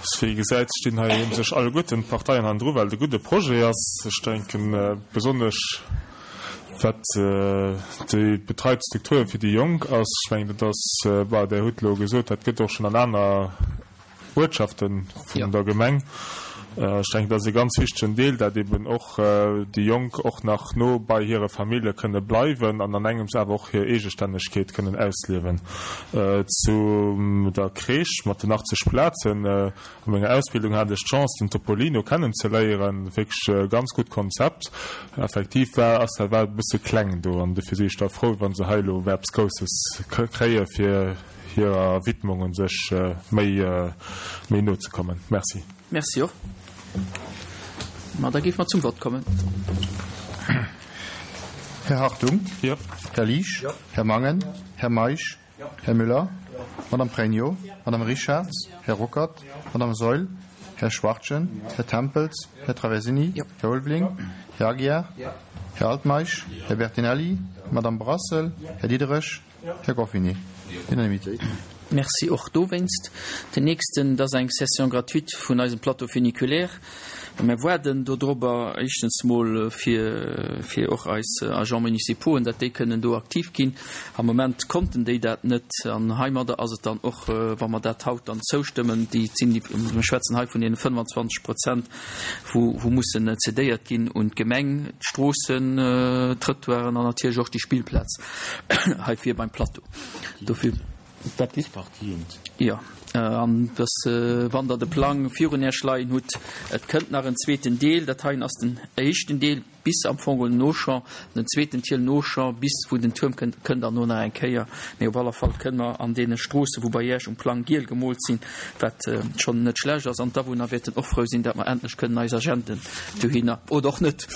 Wéi ee gesäit, stinn hei u sech alleguerten d'Parteien hannendru, well et e gudde Projet ass. Ech denken besonnesch wat déi betreit Strukture fir déi Jonk ass. Ech mengen, dat ass, bon, Der hutt elo gesot, dat gëtt och schonn an aner Uertschafte vun der Gemeng. Ech denken, dat ass e ganz wichtegen Deel, dat eben och déi Jonk och nach no bei hire Famillje kënne bleiwen an an engems awer och hir Eegestännegkeet kënnen ausliewen. Zu der Crèche mat den achtzeg Plazen, A menger Ausbildung hat ech d'Chance, den Topolino kennenzeléieren. Wierklech e ganz gutt Konzept. Effektiv war, ass dat war e bësse kleng do an dofir si ech da frou, wa se hei elo eppes Grousses kréie fir hirer Widmung un sech méi, méi no ze kommen. Merci. Merci och. Ma da géife mer zum Vott kommen. Här Hartung? Jo. Här Liesch? Här Mangen? Här Meisch? Här Müller? Madame Pregno? Madame Richarz? Här Ruckert? Madame Saeul? Här Schwachtgen? Här Tempels? Här Traversini? Här Ulveling? Här Aguiar? Här Altmeisch? Här Bertinelli? Madame Brassel? Här Diderich? Här Goffinet? Unanimitéit. Merci och dowéinst. Den nächsten, dat ass eng Cession gratuite vun eisem Plateau funiculaire. Mir waarden dodrobber éischtens mol fir, fir och eis Agents municipauxen, datt déi kënnen do aktiv ginn. Am Moment konnten déi dat net an heimadder ass et dann och, wa mer dat haut dann zoustëmmen, déi sinn déi, mir schwätzen hei vun deene fënnwanzwanzeg Prozent, wou, wou mussen cedéiert ginn un d'Gemeng, d'Stroossen, d'Trëttoiren an natierlech och déi Spillplaz hei vir beim Plateau. Dofir. Dat ist partient. Jo, an dass, wann Der de Plang virun Iech leien hutt, et kënnt nach en zweeten Deel, dat heien ass den éischten Deel bis am Fong un den Auchan, den zweeten Tiel no Auchan bis wou den Tuerm kënnt, kënnt dann no nach eng Kéier. Mee op aller Fall kënne mer an deene Stroosse, wou bei Iech um Plang giel gemoolt sinn, wat schonn net schlecht ass, an d'Awunner wäerten och frou sinn, dat mer endlech kënnen eis Agenten dohinner, oder och net,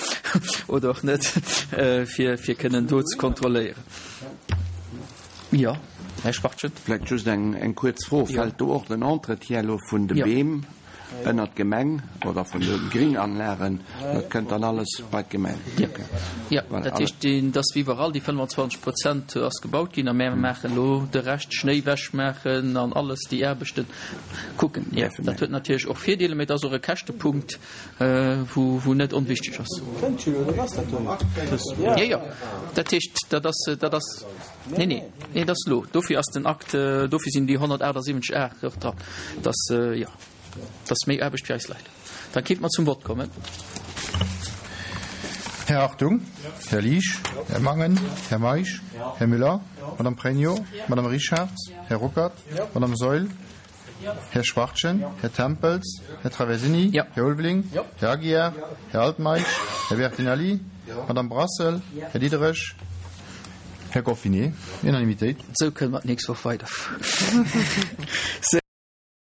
oder och net, fir, fir kënnen do ze kontrolléieren. Jo, Här Schwachtgen. Vläicht just eng, eng kuerz Fro, Fält do och den Entretien elo vun de Beem ënnert d'Gemeng oder vun de Gringanlagen? Dat kënnt dann alles bei d'Gemeng? Jo, jo. Dat heescht, dat ass wéi iwwerall, déi fënnwanzwanzeg Prozent ass gebaut ginn a mär maachen elo de Rescht, Schnéi wechmaachen an alles, déi Aarbechten kucken. Jo, dat huet natierlech och Virdeeler, mee et ass och e Käschtepunkt, wou, wou net onwichtig ass. Jo, jo. Dat heescht, dat ass, dat ass. Nee, nee, nee, dat ass elo. Dofir ass den Akt, dofir sinn déi honnertaachtsiwwenzeg A och dran. Dass, jo, dass méi Aarbecht fir eis Leit. Da kéinte mer zum Vott kommen. Här Hartung, Här Liesch, Här Mangen, Här Meisch, Här Müller, Madame Pregno, Madame Richarz, Här Ruckert, Madame Saeul, Här Schwachtgen, Här Tempels, Här Traversini, Här Ulveling, Här Aguiar, Här Altmeisch, Här Bertinelli, Madame Brassel, Här Diderich, Här Goffinet. Unanimitéit. Esou kënne mer d'nächst Woch weiderfueren.